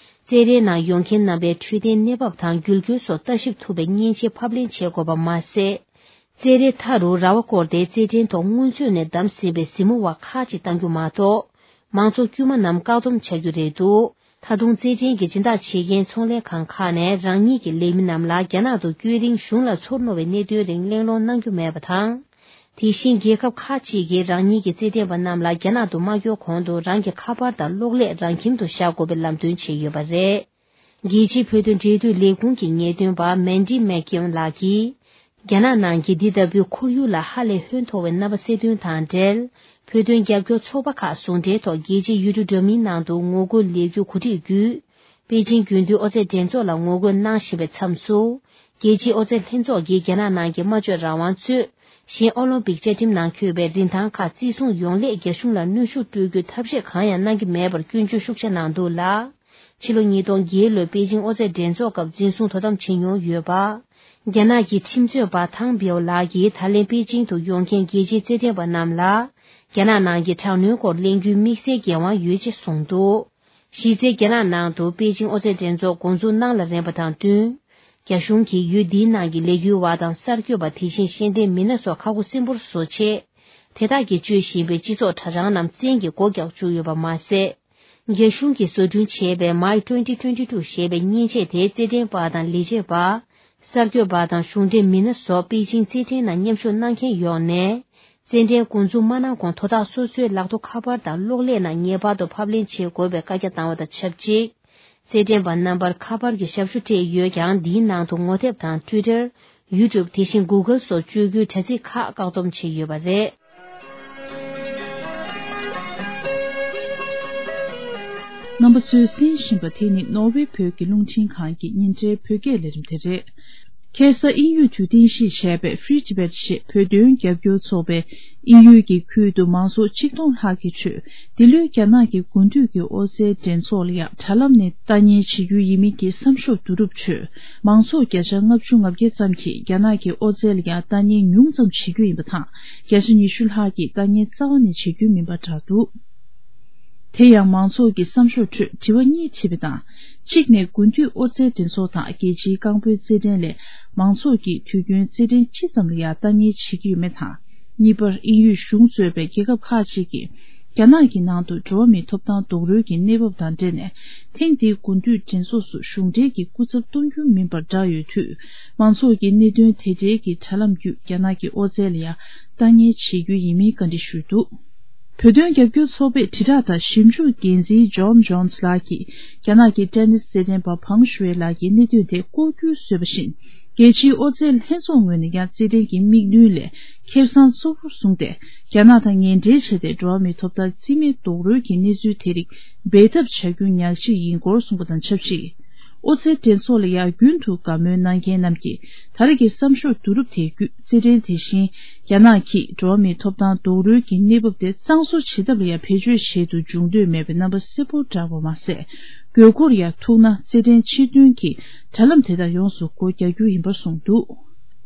རྩེད་རའི་ནང་ཡོང་མཁན་རྣམ་པའི་འཕྲོད་བསྟེན་གནས་བབ་དང་རྒྱུ་རྐྱེན་སོགས་ལྟ་ཞིབ་ཐུབ་པའི་མཉེན་ཆས་ཕབ་ལེན་བྱེད་དགོས་པ་མ་ཟད། རྩེད་རའི་མཐའ་རུ་ར་བ་བསྐོར་ཏེ་རྩེད་འགྲན་ཐོག་སྔོན་ཚོད་ནས་བདམས་ཟིན་པའི་གཟིགས་མོ་བ་ཁག་ཅིག་བཏང་རྒྱུ་མ་གཏོགས། མང་ཚོགས་དཀྱུས་མ་རྣམས་བཀག་སྡོམ་བྱ་རྒྱུ་རེད་འདུག་ད་དུང་རྩེད་འགྲན་གྱི་སྦྱིན་བདག་བྱེད་མཁན་ཚོང་ལས་ཁང་ཁག་ནས་རང་ཉིད་ཀྱི་ལས་མི་རྣམས་ལ་རྒྱ་ནག་ཏུ་བསྐྱོད་རིང་གཞུང་ལ་ཚོར་རྣོ་བའི་གནད་དོན་རིགས་གླེང་སློང་གནང་རྒྱུ་མེད་པ་དང་། དེ་བཞིན་རྒྱལ་ཁབ་ཁག་ཅིག་གིས་རང་ཉིད་ཀྱི་རྩེད་འགྲན་པ་རྣམས་ལ་རྒྱ་ནག་ཏུ་མ་བསྐྱོད་གོང་དུ་རང་གི་ཁ་པར་དང་གློག་ཀླད་རང་ཁྱིམ་དུ་བཞག་དགོས་པའི་ལམ་སྟོན་བྱས་ཡོད་པ་རེད། རྒྱལ་སྤྱིའི་བོད་དོན་འབྲེལ་མཐུད་ལས་ཁུངས་ཀྱི་ངེས་སྟོན་པ་མན་ཌི་མེག་ཀིམ་ལགས་ཀྱིས། རྒྱ་ནག་ནང་གི་འདི་ལྟ་བུའི་ཁོར་ཡུག་ལ་ཧ་ལས་ཧོན་མཐོ་བའི་རྣམ་པ་གསལ་སྟོན་དང་འབྲེལ། བོད་དོན་རྒྱབ་སྐྱོར་ཚོགས་པ་ཁག་ཟུང་འབྲེལ་ཐོག་རྒྱལ་སྤྱིའི་ཡུལ་གྲུ་འདྲ་མིན་ནང་དུ་ངོ་རྒོལ་ལས་འགུལ་གོ་སྒྲིག་བརྒྱུད། པེ་ཅིང་རྒྱུན་མཐུད་ཨོ་རྩལ་འགྲན་ཚོགས་ལ་ངོ་རྒོལ་གནང་བཞིན་པའི་མཚམས་སུ། རྒྱལ་སྤྱིའི་ཨོ་རྩལ་ལྷན་ཚོགས་ཀྱིས་རྒྱ་ནག་ནང་གི་སྨྲ་བརྗོད་རང་དབང་གཙོས། གཞན་ཨོ་ལིམ་པིག་བཅའ་ཁྲིམས་ནང་འཁོད་པའི་རིན་ཐང་ཁག་བརྩི་སྲུང་ཡོང་སླད་རྒྱ་གཞུང་ལ་གནོན་ཤུགས་སྤྲོད་རྒྱུའི་ཐབས་ཤེས་གང་ཡང་གནང་གི་མེད་པར་སྐྱོན་བརྗོད་ཤུགས་ཆེ་གནང་འདུག་ལ། ཕྱི་ལོ་ཉིས་སྟོང་བརྒྱད་ལོའི་པེ་ཅིང་ཨོ་རྩལ་འགྲན་ཚོགས་སྐབས་འཛིན་བཟུང་དོ་དམ་བྱེད་མྱོང་ཡོད་པ། རྒྱ་ནག་གི་ཁྲིམས་རྩོད་པ་ཐང་པེའོ་ལགས་ཀྱིས་ད་ལན་པེ་ཅིང་དུ་ཡོང་མཁན་རྒྱལ་སྤྱིའི་རྩེད་འགྲན་པ་རྣམས་ལ། རྒྱ་ནག་ནང་གི་དྲག་གནོན་སྐོར་གླེང་རྒྱུའི་དམིགས་བསལ་འགན་དབང་ཡོད་ཅེས་གསུངས་འདུག་གཞི་རྩའི་རྒྱ་ནག་ནང་དུ་པེ་ཅིང་ཨོ་རྩལ་འགྲན་ཚོགས་འགོ་འཛུགས་གནང་ལ་རན་པ་དང་བསྟུན། རྒྱ་གཞུང་གིས་ཡུལ་འདིའི་ནང་གི་ལས་འགུལ་བ་དང་གསར་འགོད་པ་དེ་བཞིན་ཤེས་ལྡན་མི་སྣ་སོགས་ཁ་སྒོ་སྲིན་པོར་བཟོ་ཆེད། དེ་དག་གིས་སྤྱོད་བཞིན་པའི་སྤྱི་ཚོགས་དྲ་བྱང་རྣམས་བཙན་གྱིས་སྒོ་རྒྱག་བཅུག་ཡོད་པ་མ་ཟད། རྒྱ་གཞུང་གིས་བཟོ་སྐྲུན་བྱས་པའི་མའི་twenty twenty two ཞེས་པའི་མཉེན་ཆས་དེ་རྩེད་འགྲན་པ་དང་ལས་བྱེད་པ། གསར་འགོད་པ་དང་གཞུང་འབྲེལ་མི་སྣ་སོགས་པེ་ཅིང་རྩེད་འགྲན་ནང་མཉམ་ཞུགས་གནང་མཁན་ཡོངས་ནས། རྩེད་འགྲན་འགོ་འཛུགས་མ་གནང་གོང་དོ་བདག་སོ་སོའི་ལག་ཐོགས་ཁ་པར་དང་གློག་ཀླད་ནང་ངེས་པར་དུ་ཕབ་ལེན་བྱེད་དགོས་པའི་བཀའ་རྒྱ་བཏང་བ་དང་ཆབས་ཅིག་རྩེད་འགྲན་པ་རྣམ་པར་ཁ་པར་གྱི་ཞབས་ཞུ་སྤྲད་ཡོད་ཀྱང་། འདིའི་ནང་དུ་ངོ་དེབ་དང་Twitter། YouTube། དེ་བཞིན་Google སོགས་སྤྱོད་རྒྱུའི་དྲ་ཚིགས་ཁག་བཀག་སྡོམ་བྱས་ཡོད་པ་རེད། རྣམ་པ་ཚོས་གསན་བཞིན་པ་དེ་ནི་ནོར་ཝེ་བོད་ཀྱི་རླུང་འཕྲིན་ཁང་གི་ཉིན་རེའི་བོད་སྐད་ལས་རིམ་དེ་རེད། ཁ་སང་དབྱིན་ཡུལ་དུ་རྟེན་གཞི་བྱས་པའི་Free Tibet ཞེས་བོད་དོན་རྒྱབ་སྐྱོར་ཚོགས་པས་དབྱིན་ཡུལ་གྱི་ཁུལ་དུ་མང་ཚོགས་ཆིག་སྟོང་ལྷག་གི་ཁྲོད། འདི་ལོའི་རྒྱ་ནག་གི་དགུན་དུས་ཀྱི་ཨོ་རྩལ་འགྲན་ཚོགས་ལ་ཡང་དྲ་ལམ་ནས་ལྟ་ཉན་བྱེད་རྒྱུ་ཡིན་མིན་གྱི་བསམ་ཤོག་བསྡུ་རུབ་ཁྲོད། མང་ཚོགས་བརྒྱ་ཆ་ལྔ་བཅུ་ང་བརྒྱད་ཙམ་གྱིས་རྒྱ་ནག་གི་ཨོ་རྩལ་ལ་ཡང་ལྟ་ཉན་ཉུང་ཙམ་བྱེད་རྒྱུ་ཡིན་པ་དང་། བརྒྱ་ཆ་ཉི་ཤུ་ལྷག་གིས་ལྟ་ཉན་རྩ་བ་ནས་བྱེད་རྒྱུ་མིན་པ་བསྒྲགས་འདུག་དེ་ཡང་མང་ཚོགས་ཀྱི་བསམ་ཤོག་ཁྲོད་དྲི་བ་གཉིས་དྲིས་པ་དང་། གཅིག་ནས་དགུན་དུས་ཨོ་རྩལ་འགྲན་ཚོགས་དང་རྒྱལ་སྤྱིའི་རྐང་སྤོལ་རྩེད་འགྲན་ལས་མང་ཚོགས་ཀྱིས་དུས་རྒྱུན་རྩེད་འགྲན་ཅི་ཙམ་ལ་ཡང་ལྟ་ཉན་བྱེད་ཀྱི་ཡོད་མེད་དང་། གཉིས་པར་དབྱིན་ཡུལ་གཞུང་གཙོས་པའི་རྒྱལ་ཁབ་ཁག་ཅིག་གིས་རྒྱ་ནག་གི་ནང་དུ་འགྲོ་བ་མིའི་ཐོབ་ཐང་རྡོག་རོལ་གྱི་གནས་བབ་དང་འབྲེལ་ནས། ཐེངས་འདིའི་དགུན་དུས་འགྲན་ཚོགས་སུ་གཞུང་འབྲེལ་གྱི་སྐུ་ཚབ་གཏོང་རྒྱུ་མིན་པར་བསྒྲགས་ཡོད་དུས། མང་ཚོགས་ཀྱིས་གནད་དོན་དེ་འབྲེལ་གྱི་དྲ་ལམ་བརྒྱུད་རྒྱ་ནག་གི་ཨོ་རྩལ་ལ་ཡང་ལྟ་ཉན་བྱེད་རྒྱུ་ཡིན་མིན་བཀའ་འདྲི་ཞུས་འདུག་བོད་དོན་རྒྱབ་སྐྱོར་ཚོགས་པའི་དྲིལ་བསྒྲགས་དང་ཞིབ་འཇུག་འགན་འཛིན་ཇོན་ཇོན་སི་ལགས་ཀྱིས། རྒྱ་ནག་གི་ཏེ་ནིས་རྩེད་འགྲན་པ་ཕང་ཞུའེ་ལགས་ཀྱིས་གནད་དོན་དེ་ལྐོག་གྱུར་བཟོས་པ་བཞིན། རྒྱལ་སྤྱིའི་ཨོ་རྩལ་ལྷན་ཚོགས་ངོས་ནས་ཀྱང་རྩེད་འགྲན་གྱི་དམིགས་འདུན་ལས་ཁེ་བཟང་གཙོ་བོར་བཟུང་སྟེ། རྒྱ་ནག་དང་ངན་འབྲེལ་བྱས་ཏེ་འགྲོ་བ་མིའི་ཐོབ་ཐང་རྩིས་མེད་རྡོག་རོལ་གྱི་གནས་ཚུལ་དེ་རིགས་སྦས་ཐབས་བྱ་རྒྱུ་ཉག་གཅིག་ཡིན་སྐོར་གསུངས་པ་དང་ཆབས་ཅིག་ཨོ་རྩལ་འགྲན་ཚོགས་ལ་ཡང་རྒྱུན་དུ་དགའ་མོས་གནང་མཁན་རྣམས་ཀྱིས་ད་རེས་ཀྱི་བསམ་ཤོག་བསྡུ་རུབ་དེ་བརྒྱུད། རྩེད་འགྲན་དེ་བཞིན་རྒྱ་ནག་གིས་འགྲོ་བ་མིའི་ཐོབ་ཐང་རྡོག་རོལ་གྱི་གནས་བབ་དེ་གཙང་བཟོ་བྱེད་ཐབས་ལ་ཡང་བེད་སྤྱོད་བྱེད་དུ་འཇུག་འདོད་མེད་པའི་རྣམ་པ་གསལ་པོར་བསྒྲགས་པ་མ་ཟད། དགོས་མཁོར་ཡང་ཐུག་ན་རྩེད་འགྲན་ཕྱིར་འདོན་གྱི་དྲ་ལམ་དེ་དག་ཡོངས་སུ་སྒོ་རྒྱག་རྒྱུ་ཡིན་པར་གསུངས་འདུག་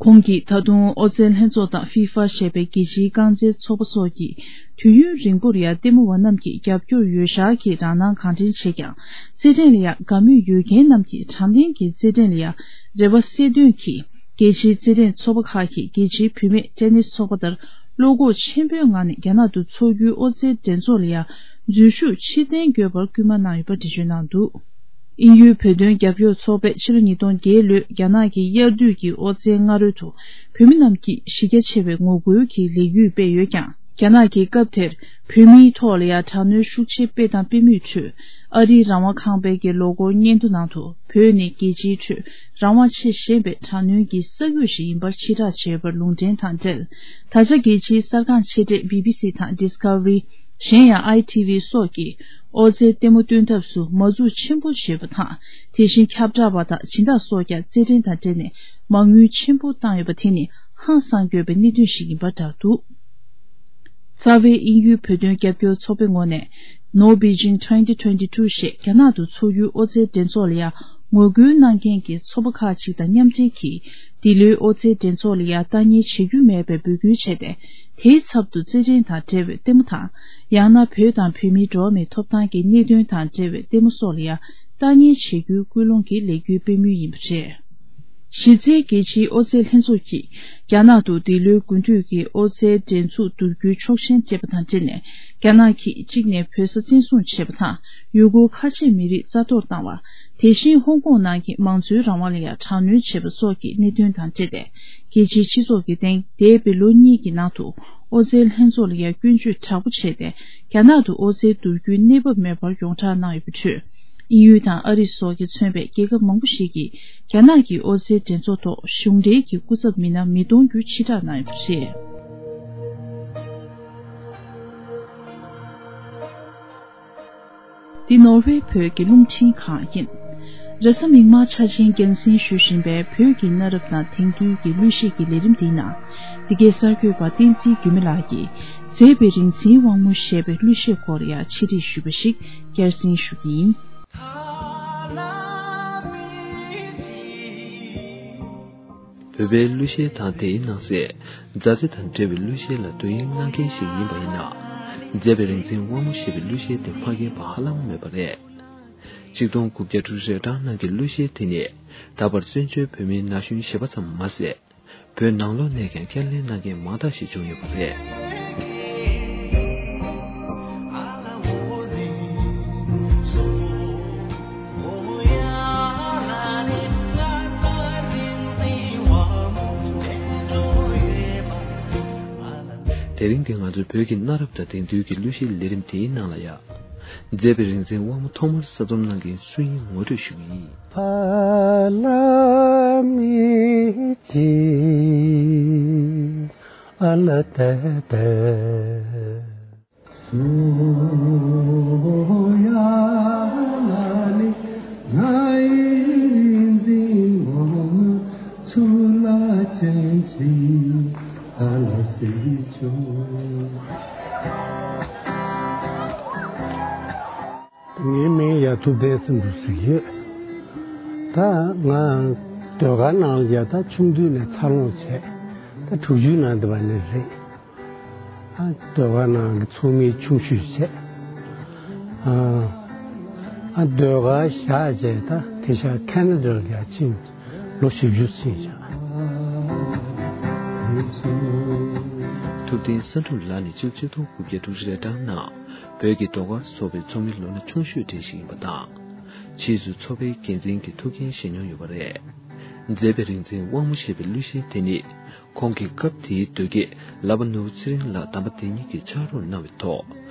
ཁོང་གིས་ད་དུང་ཨོ་རྩལ་ལྷན་ཚོགས་དང་ཧྥི་ཧྥ་ཞེས་པའི་རྒྱལ་སྤྱིའི་རྐང་རྩེད་ཚོགས་པ་སོགས་ཀྱིས་དུས་ཡུན་རིང་པོར་ཡང་ལྟད་མོ་བ་རྣམས་ཀྱི་རྒྱབ་སྐྱོར་ཡོད་ཤག་གི་རང་སྣང་གང་དྲན་བྱེད་ཀྱང་། རྩེད་འགྲན་ལ་ཡང་དགའ་མོས་ཡོད་མཁན་རྣམས་ཀྱིས་དྲང་བདེན་གྱི་རྩེད་འགྲན་ལ་ཡང་རེ་བ་གསལ་སྟོན་གྱིས། རྒྱལ་སྤྱིའི་རྩེད་འགྲན་ཚོགས་པ་ཁག་གིས་རྒྱལ་སྤྱིའི་བུད་མེད་ཏེ་ནིས་ཚོགས་པ་ལྟར་བློ་ཁོག་ཆེན་པོའི་ངང་ནས་རྒྱ་ནག་ཏུ་འཚོགས་རྒྱུའི་ཨོ་རྩལ་འགྲན་ཚོགས་ལ་ཡང་འཛུལ་ཞུགས་ཕྱིར་འཐེན་དགོས་པར་སྐུལ་མ་གནང་ཡོད་པ་འགྲེལ་བརྗོད་གནང་འདུག་དབྱིན་ཡུལ་བོད་དོན་རྒྱབ་སྐྱོར་ཚོགས་པས་ཕྱི་ལོ་ཉིས་སྟོང་བརྒྱད་ལོའི་རྒྱ་ནག་གི་དབྱར་དུས་ཀྱི་ཨོ་རྩལ་སྔ་རོལ་དུ་བོད་མི་རྣམས་ཀྱིས་གཞི་རྒྱ་ཆེ་བའི་ངོ་རྒོལ་གྱི་ལས་འགུལ་སྤེལ་ཡོད་ཀྱང་། རྒྱ་ནག་གིས་སྐབས་དེར་བོད་མིའི་ཐོག་ལ་ཡང་དྲག་གནོན་ཤུགས་ཆེ་སྤེལ་དང་སྤེལ་མུས་ཁྲོད། ཨ་རིའི་རང་དབང་ཁང་པའི་གི་ལོ་འཁོར་སྙན་ཐོ་ནང་དུ། བོད་ནི་རྒྱལ་སྤྱིའི་ཁྲོད་རང་དབང་ཆེས་ཞན་པའི་དྲག་གནོན་གྱི་ས་ཁུལ་ཞིག་ཡིན་པར་ཕྱིར་བསྒྲགས་བྱས་པར་ལུང་འདྲེན་དང་འབྲེལ། ད་ཆ་རྒྱལ་སྤྱིའི་གསར་ཁང་ཆེ་གྲས་བི་བི་སི་དང་Discovery། གཞན་ཡང་ཨའི་ཐི་ཝི་སོགས་ཀྱིས་ཨོ་རྩལ་ལྟད་མོ་སྟོན་ཐབས་སུ་མ་འཛུགས་ཆེན་པོ་བྱས་པ་དང་། དེ་བཞིན་ཁྱབ་བསྒྲགས་པ་དང་སྦྱིན་བདག་སོགས་ཀྱང་རྩེད་འགྲན་དང་འབྲེལ་ནས་མ་དངུལ་ཆེན་པོ་བཏང་ཡོད་པ་དེ་ནི་ཧང་སང་དགོས་པའི་གནད་དོན་ཞིག་ཡིན་པར་བསྒྲགས་འདུག་རྩ་བའི་དབྱིན་ཡུལ་བོད་དོན་རྒྱབ་སྐྱོར་ཚོགས་པའི་ངོས་ནས། No Beijing twenty twenty-two ཞེས་རྒྱ་ནག་ཏུ་འཚོགས་རྒྱུའི་ཨོ་རྩལ་འགྲན་ཚོགས་ལ་ཡང་ངོ་རྒོལ་གནང་མཁན་གྱི་ཚོགས་པ་ཁག་ཅིག་དང་མཉམ་འབྲེལ་གྱིས། འདི་ལོའི་ཨོ་རྩལ་འགྲན་ཚོགས་ལ་ཡང་ལྟ་ཉན་བྱེད་རྒྱུ་མེད་པའི་འབོད་སྐུལ་བྱས་ཏེ། དེའི་ཚབ་ཏུ་རྩེད་འགྲན་དང་འབྲེལ་བའི་ལྟད་མོ་དང་། ཡང་ན་བོད་དང་བོད་མིའི་འགྲོ་བ་མིའི་ཐོབ་ཐང་གི་གནད་དོན་དང་འབྲེལ་བའི་ལྟད་མོ་སོགས་ལ་ཡང་། བརྟག་གཉེར་བྱེད་རྒྱུའི་སྐུལ་སློང་གི་ལས་འགུལ་སྤེལ་མུས་ཡིན་པ་རེད། གཞི་རྩའི་རྒྱལ་སྤྱིའི་ཨོ་རྩལ་ལྷན་ཚོགས་ཀྱིས་རྒྱ་ནག་ཏུ་འདི་ལོའི་དགུན་དུས་ཀྱི་ཨོ་རྩལ་འགྲན་ཚོགས་བསྡུ་རྒྱུའི་ཆོག་མཆན་སྤྲད་པ་དང་འབྲེལ་ནས། རྒྱ་ནག་གིས་གཅིག་ནས་བོད་ས་བཙན་བཟུང་བྱས་པ་དང་། ཡུ་གུར་ཁ་ཆེ་མི་རིགས་རྩ་གཏོར་བཏང་བ། དེ་བཞིན་ཧོང་ཀོང་ནང་གི་མང་གཙོའི་རང་དབང་ལ་ཡང་དྲག་གནོན་བྱས་པ་སོགས་ཀྱི་གནད་དོན་དང་འབྲེལ་ཏེ། རྒྱལ་སྤྱིའི་སྤྱི་ཚོགས་ཀྱིས་དེང་འདས་པའི་ལོ་གཉིས་ཀྱི་ནང་དུ་ཨོ་རྩལ་ལྷན་ཚོགས་ལ་ཡང་སྐྱོན་བརྗོད་དྲག་པོ་བྱས་ཏེ། རྒྱ་ནག་ཏུ་ཨོ་རྩལ་བསྡུ་རྒྱུའི་གནས་བབ་མེད་པར་ཡོངས་གྲགས་གནང་ཡོད་པའི་ཁྲོད། དབྱིན་ཡུལ་དང་ཨ་རི་སོགས་ཀྱིས་མཚོན་པའི་རྒྱལ་ཁབ་མང་པོ་ཞིག་གིས་རྒྱ་ནག་གི་ཨོ་རྩལ་འགྲན་ཚོགས་ཐོག་གཞུང་འབྲེལ་གྱི་སྐུ་ཚབ་མི་སྣ་མི་གཏོང་རྒྱུ་ཕྱིར་བསྒྲགས་གནང་ཡོད་པ་རེད། འདི་ནོར་ཝེ་བོད་ཀྱི་རླུང་འཕྲིན་ཁང་ཡིན། རེས་གཟའ་མིག་དམར་འཆར་ཅན་རྒྱང་སྲིང་ཞུ་བཞིན་པའི་བོད་ཀྱི་གནའ་རབས་དང་དེང་དུས་ཀྱི་གླུ་གཞས་ཀྱི་ལས་རིམ་འདིའི་ནང་། འདི་གའི་གསར་འགོད་པ་བསྟན་འཛིན་འགྱུར་མེད་ལགས་ཀྱིས་མཛེས་པའི་རིག་འཛིན་དབང་མོ་ཞེས་པའི་གླུ་གཞས་སྐོར་ཡང་ཕྱི་དྲིལ་ཞུས་པ་ཞིག་བསྐྱར་གསན་ཞུ་གི་ཡིན། བོད་པའི་གླུ་གཞས་དང་དེའི་ནང་གསེས་མཛའ་བརྩེ་དང་འབྲེལ་བའི་གླུ་གཞས་ལ་བསྡུ་དབྱིངས་གནང་མཁན་ཞིག་ཡིན་པ་ཡིན་ན། མཛེས་པའི་རིག་འཛིན་དབང་མོ་ཞེས་པའི་གླུ་གཞས་དེ་མ་མཁྱེན་པ་ཧ་ལམ་མེད་པ་རེད། ཆིག་སྟོང་དགུ་བརྒྱ་དྲུག་ཅུ་རེ་གྲངས་ནང་གི་གླུ་གཞས་དེ་ནི་ད་བར་བཙན་བྱོལ་བོད་མིའི་ན་གཞོན་གཞས་པ་ཙམ་མ་ཟད། བོད་ནང་ལོགས་ནས་ཀྱང་ཁས་ལེན་གནང་མཁན་མང་དག་ཞིག་བྱུང་ཡོད་པ་རེད། དེ་རིང་གི་ང་ཚོའི་བོད་ཀྱི་གནའ་རབས་དང་དེང་དུས་ཀྱི་གླུ་གཞས་ལས་རིམ་དེའི་ནང་ལ་ཡང་། མཛེས་པའི་རིག་འཛིན་དབང་མོ་ཐོག་མར་གསར་རྩོམ་གནང་མཁན་སུ་ཡིན་ངོ་སྤྲོད་ཞུ་གི་ཡིན། ཕ་ལ་མི་གཅིག་ཨ་ལ་ཏ་ཏ། སུ་ཡ་ལ་ལི་ང་ཡི་རིག་འཛིན་དབང་མོ་ཚུར་ལ་ཅན་ཅིག་ཨ་ལ་སི་ཆོ། ངའི་མིང་ཡ་ཐུབ་བསྟན་སེམས་འགྲུབ་ཟེར་གྱི་ཡོད། ད་ང་ཟློས་གར་ནང་ལ་ཡ་ད་ཆུང་དུས་ནས་འཚར་ལོངས་བྱས། ད་དྲུག་ཅུའི་ནང་འདི་བ་ནས་རེད། ཨ་ཟློས་གར་ནང་གི་ཚོགས་མི་ཆུང་ཤོས་བྱས། ཨ་ཨ་ཟློས་གར་བཞག་བྱས་ད་དེ་ཤ་ཁེ་ན་ཌ་ལ་ཡ་ཕྱིན། ལོ་བཞི་བཅུ་ཕྱིན་བཞག། ཐུབ་བསྟན་བསམ་འགྲུབ་ལགས་ནི་སྤྱི་ལོ་ཆིག་སྟོང་དགུ་བརྒྱ་དྲུག་ཅུ་རེ་གྲངས་ནང་བོད་ཀྱི་ཟློས་གར་ཚོགས་པའི་ཚོགས་མི་ལོ་ན་ཆུང་ཤོས་གྲས་ཤིག་ཡིན་པ་དང་། ཕྱིས་སུ་ཚོགས་པའི་འགན་འཛིན་གྱི་ཐུགས་འགན་བཞེས་མྱོང་ཡོད་པ་རེད། མཛེས་པའི་རིག་འཛིན་དབང་མོ་ཞེས་པའི་གླུ་གཞས་དེ་ནི། ཁོང་གིས་སྐབས་དེའི་དོལ་རྒྱལ་ལག་པ་ནོར་བུ་ཚེ་རིང་ལགས་དམ་པ་དེ་ཉིད་ཀྱིས་ཕྱག་རོགས་གནང་བའི་ཐོག་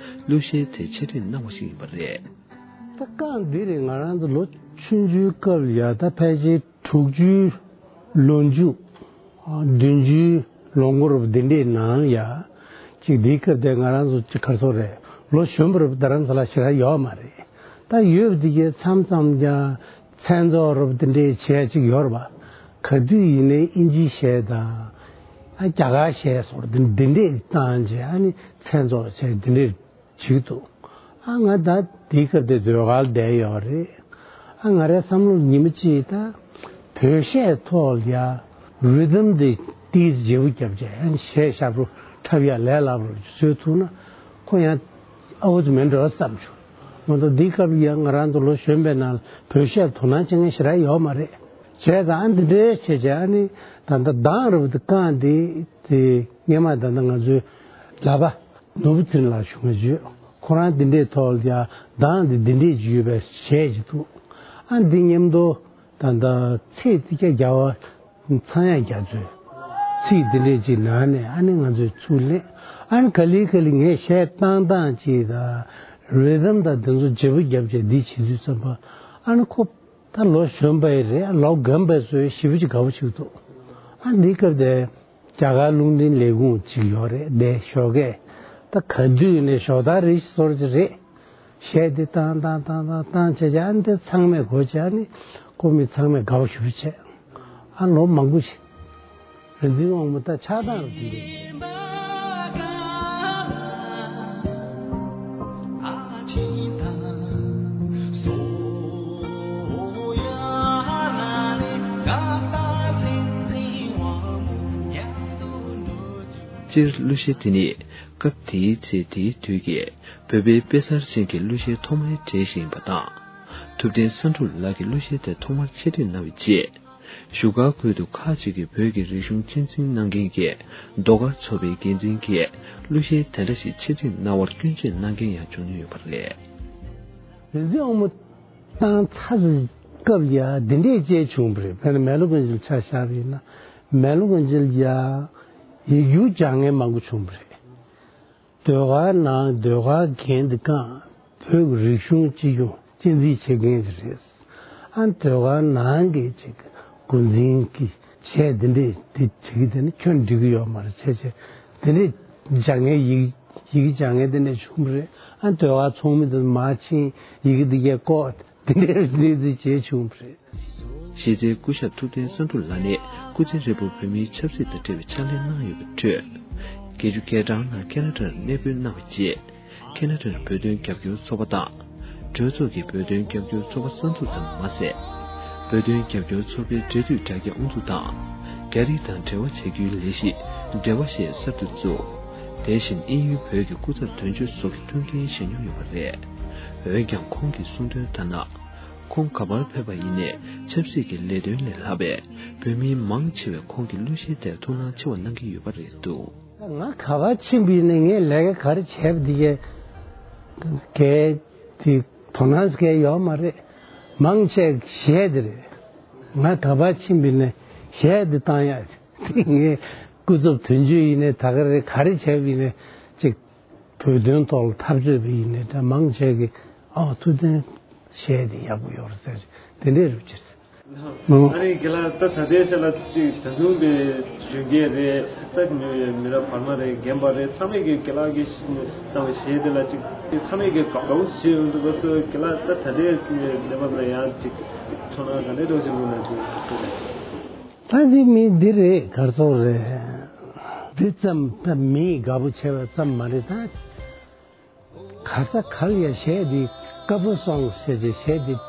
གླུ་གཞས་དེ་འཆད་ཁྲིད་གནང་བ་ཞིག་ཡིན་པ་རེད། ད་རྐང་འདི་རེད། ང་རང་ཚོ་ལོ་ཆུང་ཆུང་སྐབས་ལ་ཡ་ད་ཕལ་ཆེར་དྲུག་ཅུའི་ལོ་མཇུག་བདུན་ཅུའི་ལོ་འགོར་བ་འདི་འདྲའི་ནང་ལ་ཡ། ཅིག་འདིའི་སྐབས་དེ་ང་རང་ཚོ་ཅིག་ག་རེ་ཟེར་དགོས་རེད། ལོ་གཞོན་པ་རེད་པ། རྡ་རམ་ས་ལ་ཞེ་དྲག་ཡོད་མ་རེད། ད་ཡོད་པ་འདི་གའི་མཚམས་མཚམས་ཀྱང་མཚན་ཚོགས་རེད་པ་འདི་འདྲའི་བྱས་ཅིག་ཡོད་རེད་པ། ག་དུས་ཡིན་ནའི་དབྱིན་ཇིའི་གཞས་དང་། ཨ་རྒྱ་གར་གཞས་སོགས་འདི་འདི་འདྲས་བཏང་བྱས་ཨ་ནི་མཚན་ཚོགས་བྱས་འདི་འདྲས་བྱེད་ཀྱི་འདུག། ཨ་ང་ད་དེའི་སྐབས་དེ་ཟློས་གར་བསྡད་ཡོད་རེད། ཨ་ང་རའི་བསམ་བློར་ཉི་མ་གཅིག་ད་བོད་གཞས་ཐོག་ལ་ཡ་རི་དམ་དེ་ཏིས་བརྗེ་པོ་བརྒྱབ་བྱས་ཨ་ནི་གཞས་ཞབས་བྲོ་འཁྲབ་ཡ་ལས་སླ་པོ་བཟོས་ཐུབ་ན་ཁོ་ཡང་ཨའུ་ཚོ་མེད་འགྲོ་བསམ་བྱུང་། མ་གཏོགས་འདིའི་སྐབས་ལ་ཡང་ང་རང་ཚོ་ལོ་གཞོན་པའི་ནང་ལ་བོད་གཞས་དོ་སྣང་བྱེད་མཁན་ཞེ་དྲག་ཡོད་མ་རེད། བྱས་ཙང་ཨ་འདི་འདྲའི་བྱས་བྱས་ཨ་ནི་ད་ལྟ་གདངས་རུ་དེ་རྐང་འདི་དེ་སྔས་མ་ད་ལྟ་ང་ཚོའི་ལག་པ་ནོར་བུ་ཚེ་རིང་ལགས་ཞུ་ང་བརྗོད་ཁོ་རང་འདི་འདྲའི་ཐོག་ལ་ཡང་གདངས་འདི་འདི་འདྲའི་བརྗོད་པའི་གཞས་ཅིག་འདུག། ཨ་འདི་མཉམ་དུ་ད་ལྟ་ཚེས་དེ་ཀྱ་རྒྱལ་བ། ཚངས་དབྱངས་རྒྱ་མཚོས་ཚིག་འདི་འདྲས་ཅིག་ནང་ནས་ཨ་ནི་ང་ཚོས་ཚུར་ལེན། ཨ་ནི་ག་ལེ་ག་ལེ་ངས་གཞས་བཏང་སྟངས་ཅིག་དང་རི་དམ་དང་དེ་ཚོ་བརྗེ་པོ་བརྒྱབ་བྱས་འདི་བྱེད་དུས་ཙམ་པ་ཨ་ནི་ཁོ་ད་ལོ་གཞོན་པ་ཡི་རེད། ལོ་རྒན་པ་ཚོའི་ཞེ་པོ་ཅིག་དགའ་པོ་ཞིག་འདུག། ཨ་འདི་སྐབས་དེ་རྒྱ་གར་རླུང་འཕྲིན་ལས་ཁུངས་ཅིག་ཡོད་རེད། དེ་ཞོགས་ཀས་ད་ག་དུས་ནས་ཞོགས་ད་རེ་ཞིག་ཚོར་གྱི་རེད། གཞས་འདི་བཏང་བཏང་བཏང་བཏང་བཏང་བྱས་བྱས་ཨ་ནི་དེ་ཚང་མས་གོ་བྱས་ཨ་ནི་ཁོ་མི་ཚང་མས་དགའ་པོ་ཞེ་པོ་བྱས། ཨ་ལོ་མང་པོ་ཞིག་རིག་འཛིན་དབང་མོ་ད་ཆགས་སྡང་རུ་འདི་འདྲ་ཞིག། སྤྱིར་གླུ་གཞས་དེ་ནི་སྐབས་དེའི་ཚེ་དེའི་དུས་ཀྱི་བོད་པའི་དཔེ་གསར་ཅན་གྱི་གླུ་གཞས་ཐོག་མའི་གྲས་ཤིག་ཡིན་པ་དང་། ཐུབ་བསྟན་བསམ་གྲུབ་ལགས་ཀྱིས་གླུ་གཞས་དེ་ཐོག་མར་འཆད་ཁྲིད་གནང་བའི་རྗེས། བཞུགས་སྒར་ཁུལ་དུ་ཁག་ཅིག་གི་བོད་ཀྱི་རིག་གཞུང་གཅེས་འཛིན་གནང་མཁན་གྱི་ཟློས་གར་ཚོགས་པའི་འགན་འཛིན་གྱིས་གླུ་གཞས་དེ་འདྲ་ཞིག་འཆད་ཁྲིད་གནང་བར་སྐྱོན་བརྗོད་གནང་མཁན་ཡང་བྱུང་མྱོང་ཡོད་པ་རེད། རིག་འཛིན་དབང་མོ་བཏང་ཚར་སྐབས་ཡ་འདི་འདྲས་བྱས་བྱུང་བ་རེད། དཔེར་ན་མེ་ལོ་དགུན་ཆེན་ཆ་བཞག་པ་ཡིན་ན། མེ་ལོ་དགུན་ཆེན་ཡ་ཡིག་སྒྱུར་སྦྱང་མཁན་མང་པོ་བྱུང་བ་རེད། ཟློས་གར་ནང་ཟློས་གར་འགན་འདི་བསྐངས། བོད་ཀྱི་རིག་གཞུང་སྤྱི་ཡོངས་གཅེས་འཛིན་བྱེད་མཁན་ཅིག་རེད། ཨ་ཟློས་གར་ནང་གི་ཅིག་འགོ་འཛིན་གྱི་གཞས་འདི་འདྲས་འདི་བྲིས་ཀྱི་དེ་ནི་ཁྱོན་འགྲིག་གི་ཡོད་མ་རེད་བྱས་བྱས། དེ་འདྲས་སྦྱང་མཁན་ཡི་ཡི་གེ་སྦྱང་མཁན་དེ་འདྲས་བྱུང་བ་རེད། ཨ་ཟློས་གར་ཚོགས་མི་དེ་མར་ཕྱིན། ཡི་གེ་འདི་གས་བཀོག་དེ་འདྲའི་གནས་ཚུལ་བྱས་བྱུང་བ་རེད། གཞས་ཚན་སྐུ་ཞབས་ཐུབ་བསྟན་བསམ་གྲུབ་ལགས་ནས་སྐུ་ཚེ་ཧྲིལ་པོར་བོད་མིའི་ཆབ་སྲིད་དང་འབྲེལ་བའི་ཕྱག་ལས་གནང་ཡོད་པའི་ཁྲོད། བརྒྱད་ཅུ་གྱ་གྲངས་ནང་ཁེ་ན་ཌར་གནས་སྤོས་གནང་བའི་རྗེས། ཁེ་ན་ཌར་བོད་དོན་རྒྱབ་སྐྱོར་ཚོགས་པ་དང་། གྲོས་ཚོགས་ཀྱི་བོད་དོན་རྒྱབ་སྐྱོར་ཚོགས་པ་གསར་འཛུགས་ཙམ་མ་ཟད། བོད་དོན་རྒྱབ་སྐྱོར་ཚོགས་པའི་འབྲེལ་མཐུད་དྲ་རྒྱ་དབུ་འཛུགས་དང་། རྒྱ་རིགས་དང་འབྲེལ་བ་བྱ་རྒྱུའི་ལས་གཞི་འབྲེལ་བ་ཞེས་གསར་དུ་བཙུགས། དེ་བཞིན་དབྱིན་ཡུལ་བོད་ཀྱི་སྐུ་ཚབ་དོན་གཅོད་སོགས་ཀྱི་ཐུགས་འགན་བཞེས་མྱོང་ཡོད་པ་རེད། འོན་ཀྱང་ཁོང་གིས་གསུངས་དོན་ལྟར་ན། ཁོང་ག་པར་ཕེབས་པ་ཡིན་ནའི་ཆབ་སྲིད་ཀྱི་ལས་དོན་ལས་ལྷག་པའི་བོད་མིའི་མང་ཆེ་བས་ཁོང་གི་གླུ་གཞས་དེར་ཐུགས་སྣང་ཆེ་བ་གནང་གི་ཡོད་པ་རེད་འདུག། ང་ག་པར་ཕྱིན་པ་ཡིན་ནའི་ངས་ལས་ཀ་ག་རེ་བྱས་པ་འདི་གས་གས་དེ་དོ་སྣང་གས་ཡོད་མ་རེད། མང་ཆེ་གཞས་དེ་རེད། ང་ག་པར་ཕྱིན་པ་ཡིན་ནའི་གཞས་དེ་བཏང་ཡག་ངས་སྐུ་ཚབ་དོན་གཅོད་ཡིན་ནའི་ད་ག་རེ་ག་རེ་བྱས་པ་ཡིན་ནའི་ཅིག་བོད་དོན་ཐོག་ལ་འཐབ་རྩོད་པ་ཡིན་ནའི་འདྲ་མང་ཆེ་གིས་ཨ་ཐུབ་བསྟན་གཞས་དེ་ཡག་པོ་ཡོད་རེད་ཟེར། དེ་འདྲའི་རུ་ཅིག་རེད། ཨ་ནི་རྒན་ལགས་ད་ད་ལྟའི་ཆ་ལ་ཅིག་ད་དུང་དེ་གཞོན་སྐྱེས་རེད། ད་མི་མི་རབས་བར་མ་རེད། རྒན་པ་རེད། ཚང་མས་ཀྱི་རྒན་ལགས་ཀྱིས་བཏང་བའི་གཞས་དེ་ལ་ཅིག་ཚང་མས་ཀྱི་དགའ་པོ་བྱེད་ཡོང་འདུག་ག་སོ་རྒན་ལགས་ད་ད་ལྟའི་གནས་བབ་ལ་ཡང་ཅིག་ཚོར་སྣང་ག་འདྲའི་འདྲ་བོ་ཞིག་ཡོང་གི་འདུག་ཟེར། ད་འདི་མི་འདི་རེད། གར་སོང་རེད། འདི་ཙམ་ད་མི་དགའ་པོ་བྱས་པ་ཙམ་མ་རེད་ད། ག་ས་ག་ལ་ཡ་གཞས་འདི་ཀ་པོ་སོང་ཟེར་གྱི་གཞས་འདི་འདི་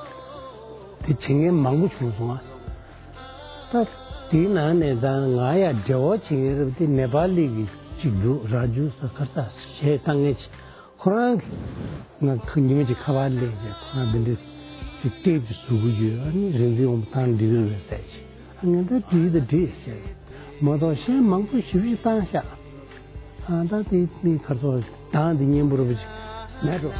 བྱེད་མཁན་མང་པོ་བྱུང་སོང་ཨ། ད་དེའི་ནང་ནས་ད་ང་ཡ་འབྲེལ་བ་བྱེད་མཁན་རབས་དེ་ནེ་པ་ལི་གི་གཅིག་འདུག་ར་ཇུ་ས་ག་ས་གཞས་བཏང་མཁན་ཅིག་ཁོ་རང་གིས་ང་ཁ་ཉི་མ་གཅིག་ཁ་པར་སླེབས་རྗེས་ཁོ་རང་འདི་འདྲ་ཅིག་ཊེབ་ཅིག་བཟོ་གི་ཡོད། ཨ་ནི་རིག་འཛིན་འོང་བཏང་འགྲིག་གི་རེད་ཟེར་ཅིག་ཨ་ངས་ད་འགྲིག་ད་འགྲིག་ཟེར། མ་གཏོགས་གཞས་མང་པོ་ཞེ་པོ་ཅིག་བཏང་ཤག་ཨ་ད་དེ་མི་ཁར་ཚོ་དང་དེ་སྙན་པོ་རུ་ཅིག་མེད་འགྲོ།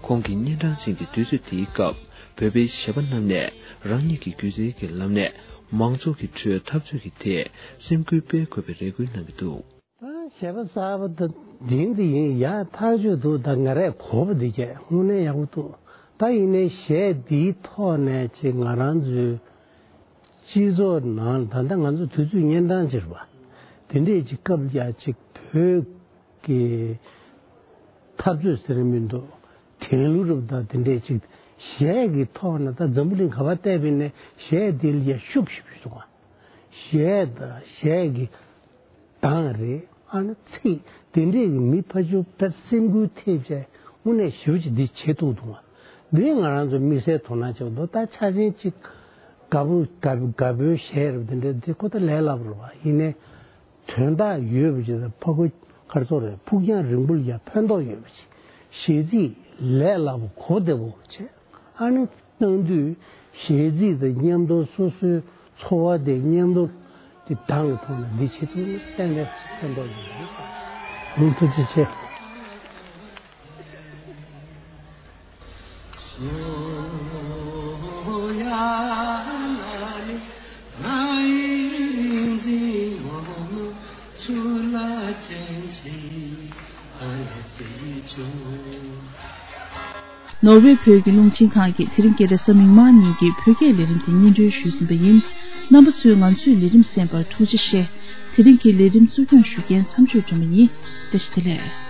ཁོང་གི་གཉན་འཕྲང་ཅན་གྱི་དུས་ཚོད་དེའི་སྐབས་བོད་པའི་གཞས་པ་རྣམས་ནས་རང་ཉིད་ཀྱི་སྒྱུ་རྩལ་གྱི་ལམ་ནས་མང་ཚོགས་ཀྱི་ཁྲོད་འཐབ་རྩོད་ཀྱི་ཐད་སེམས་འགུལ་སྤེལ་དགོས་པའི་རེ་སྐུལ་གནང་གི་འདུག། ད་གཞས་པ་གསར་པ་དང་འཛིན་དེ་ཡིན་ཡ་ཐག་ཆོད་འདུག་ད་ང་རས་གོ་བ་འདི་གས་དངོས་གནས་ཡག་པོ་འདུག་ད་ཡིན་ནའི་གཞས་འདིའི་ཐོག་ནས་ཅིག་ང་རང་ཚོའི་སྤྱི་ཚོགས་ནང་ད་ལྟ་ང་ཚོ་དུས་ཚོད་གཉན་འཕྲང་ཅིག་རེད་པ། དེ་འདྲས་ཅིག་སྐབས་ཡ་ཅིག་བོད་ཀྱི་འཐབ་རྩོད་ཟེར་མི་འདུག་དྲན་གླུ་རབ་དང་དེ་འདྲས་ཅིག་གཞས་ཀྱི་ཐོག་ནས་ད་འཛམ་བུ་གླིང་ག་པར་བལྟས་པ་ཡིན་ནའི་གཞས་དེ་ལ་ཡ་ཤུགས་ཞེ་པོ་ཞིག་འདུག་ག་གཞས་དང་གཞས་ཀྱི་གདངས་རེད། ཨ་ནི་ཚིག་དེ་འདྲས་ཀྱི་མི་ཕལ་ཆེར་དཔེ་སེམས་འགུལ་ཐེབས་བྱས་དངོས་གནས་ཞེ་པོ་ཅིག་འདི་བྱེད་ཐུབ་འདུག་ག་འདི་ང་རང་ཚོ་དམིགས་བསལ་དོ་སྣང་བྱེད་དགོས་འདུག་ད་ཆ་ཆེན་ཅིག་དགའ་པོ་དགའ་དགའ་པོའི་གཞས་རབ་དེ་འདྲས་འདི་ཁོ་ད་ལས་སླ་པོ་རེད་པ། ཡིན་ནའི་དོན་དག་ཡོད་པ་ཅིག་དང་ཕ་གུ་ཁར་ཚོ་རེད་ཕུགས་རྒྱང་རིང་པོ་ལ་ཡ་ཕན་ཐོགས་ཡོད་པ་ཅིག་གཞས་ཚིག་ལས་སླ་པོ་གོ་བདེ་པོ་བྱས་ཨ་ནི་གནང་དུས་གཞས་ཚིག་དང་མཉམ་དུ་སོ་སོའི་ཚོར་བ་དེ་མཉམ་དུ་དེ་གདངས་ཀྱི་ཐོག་ནས་འདི་བྱེད་ཐུབ་ན་ཏན་ཏན་ཕན་ཐོགས་ཡོད་རེད། ཐུགས་རྗེ་ཆེ། ནོར་ཝེ་བོད་ཀྱི་རླུང་འཕྲིན་ཁང་གིས་དེ་རིང་སྐད་གྲགས་གཟའ་མིག་དམར་ཉིན་གྱི་བོད་སྐད་ལས་རིམ་དེ་སྙན་སྒྲོན་ཞུས་ཟིན་པ་ཡིན། རྣམ་པ་ཚོས་ང་ཚོའི་ལས་རིམ་གསན་པར་ཐུགས་རྗེ་ཆེ། དེ་རིང་གི་ལས་རིམ་གཙོ་སྐྱོང་ཞུ་མཁན་མཚམས་གཅོད་སྒྲོལ་མ་ཡིན། བཀྲ་ཤིས་བདེ་ལེགས།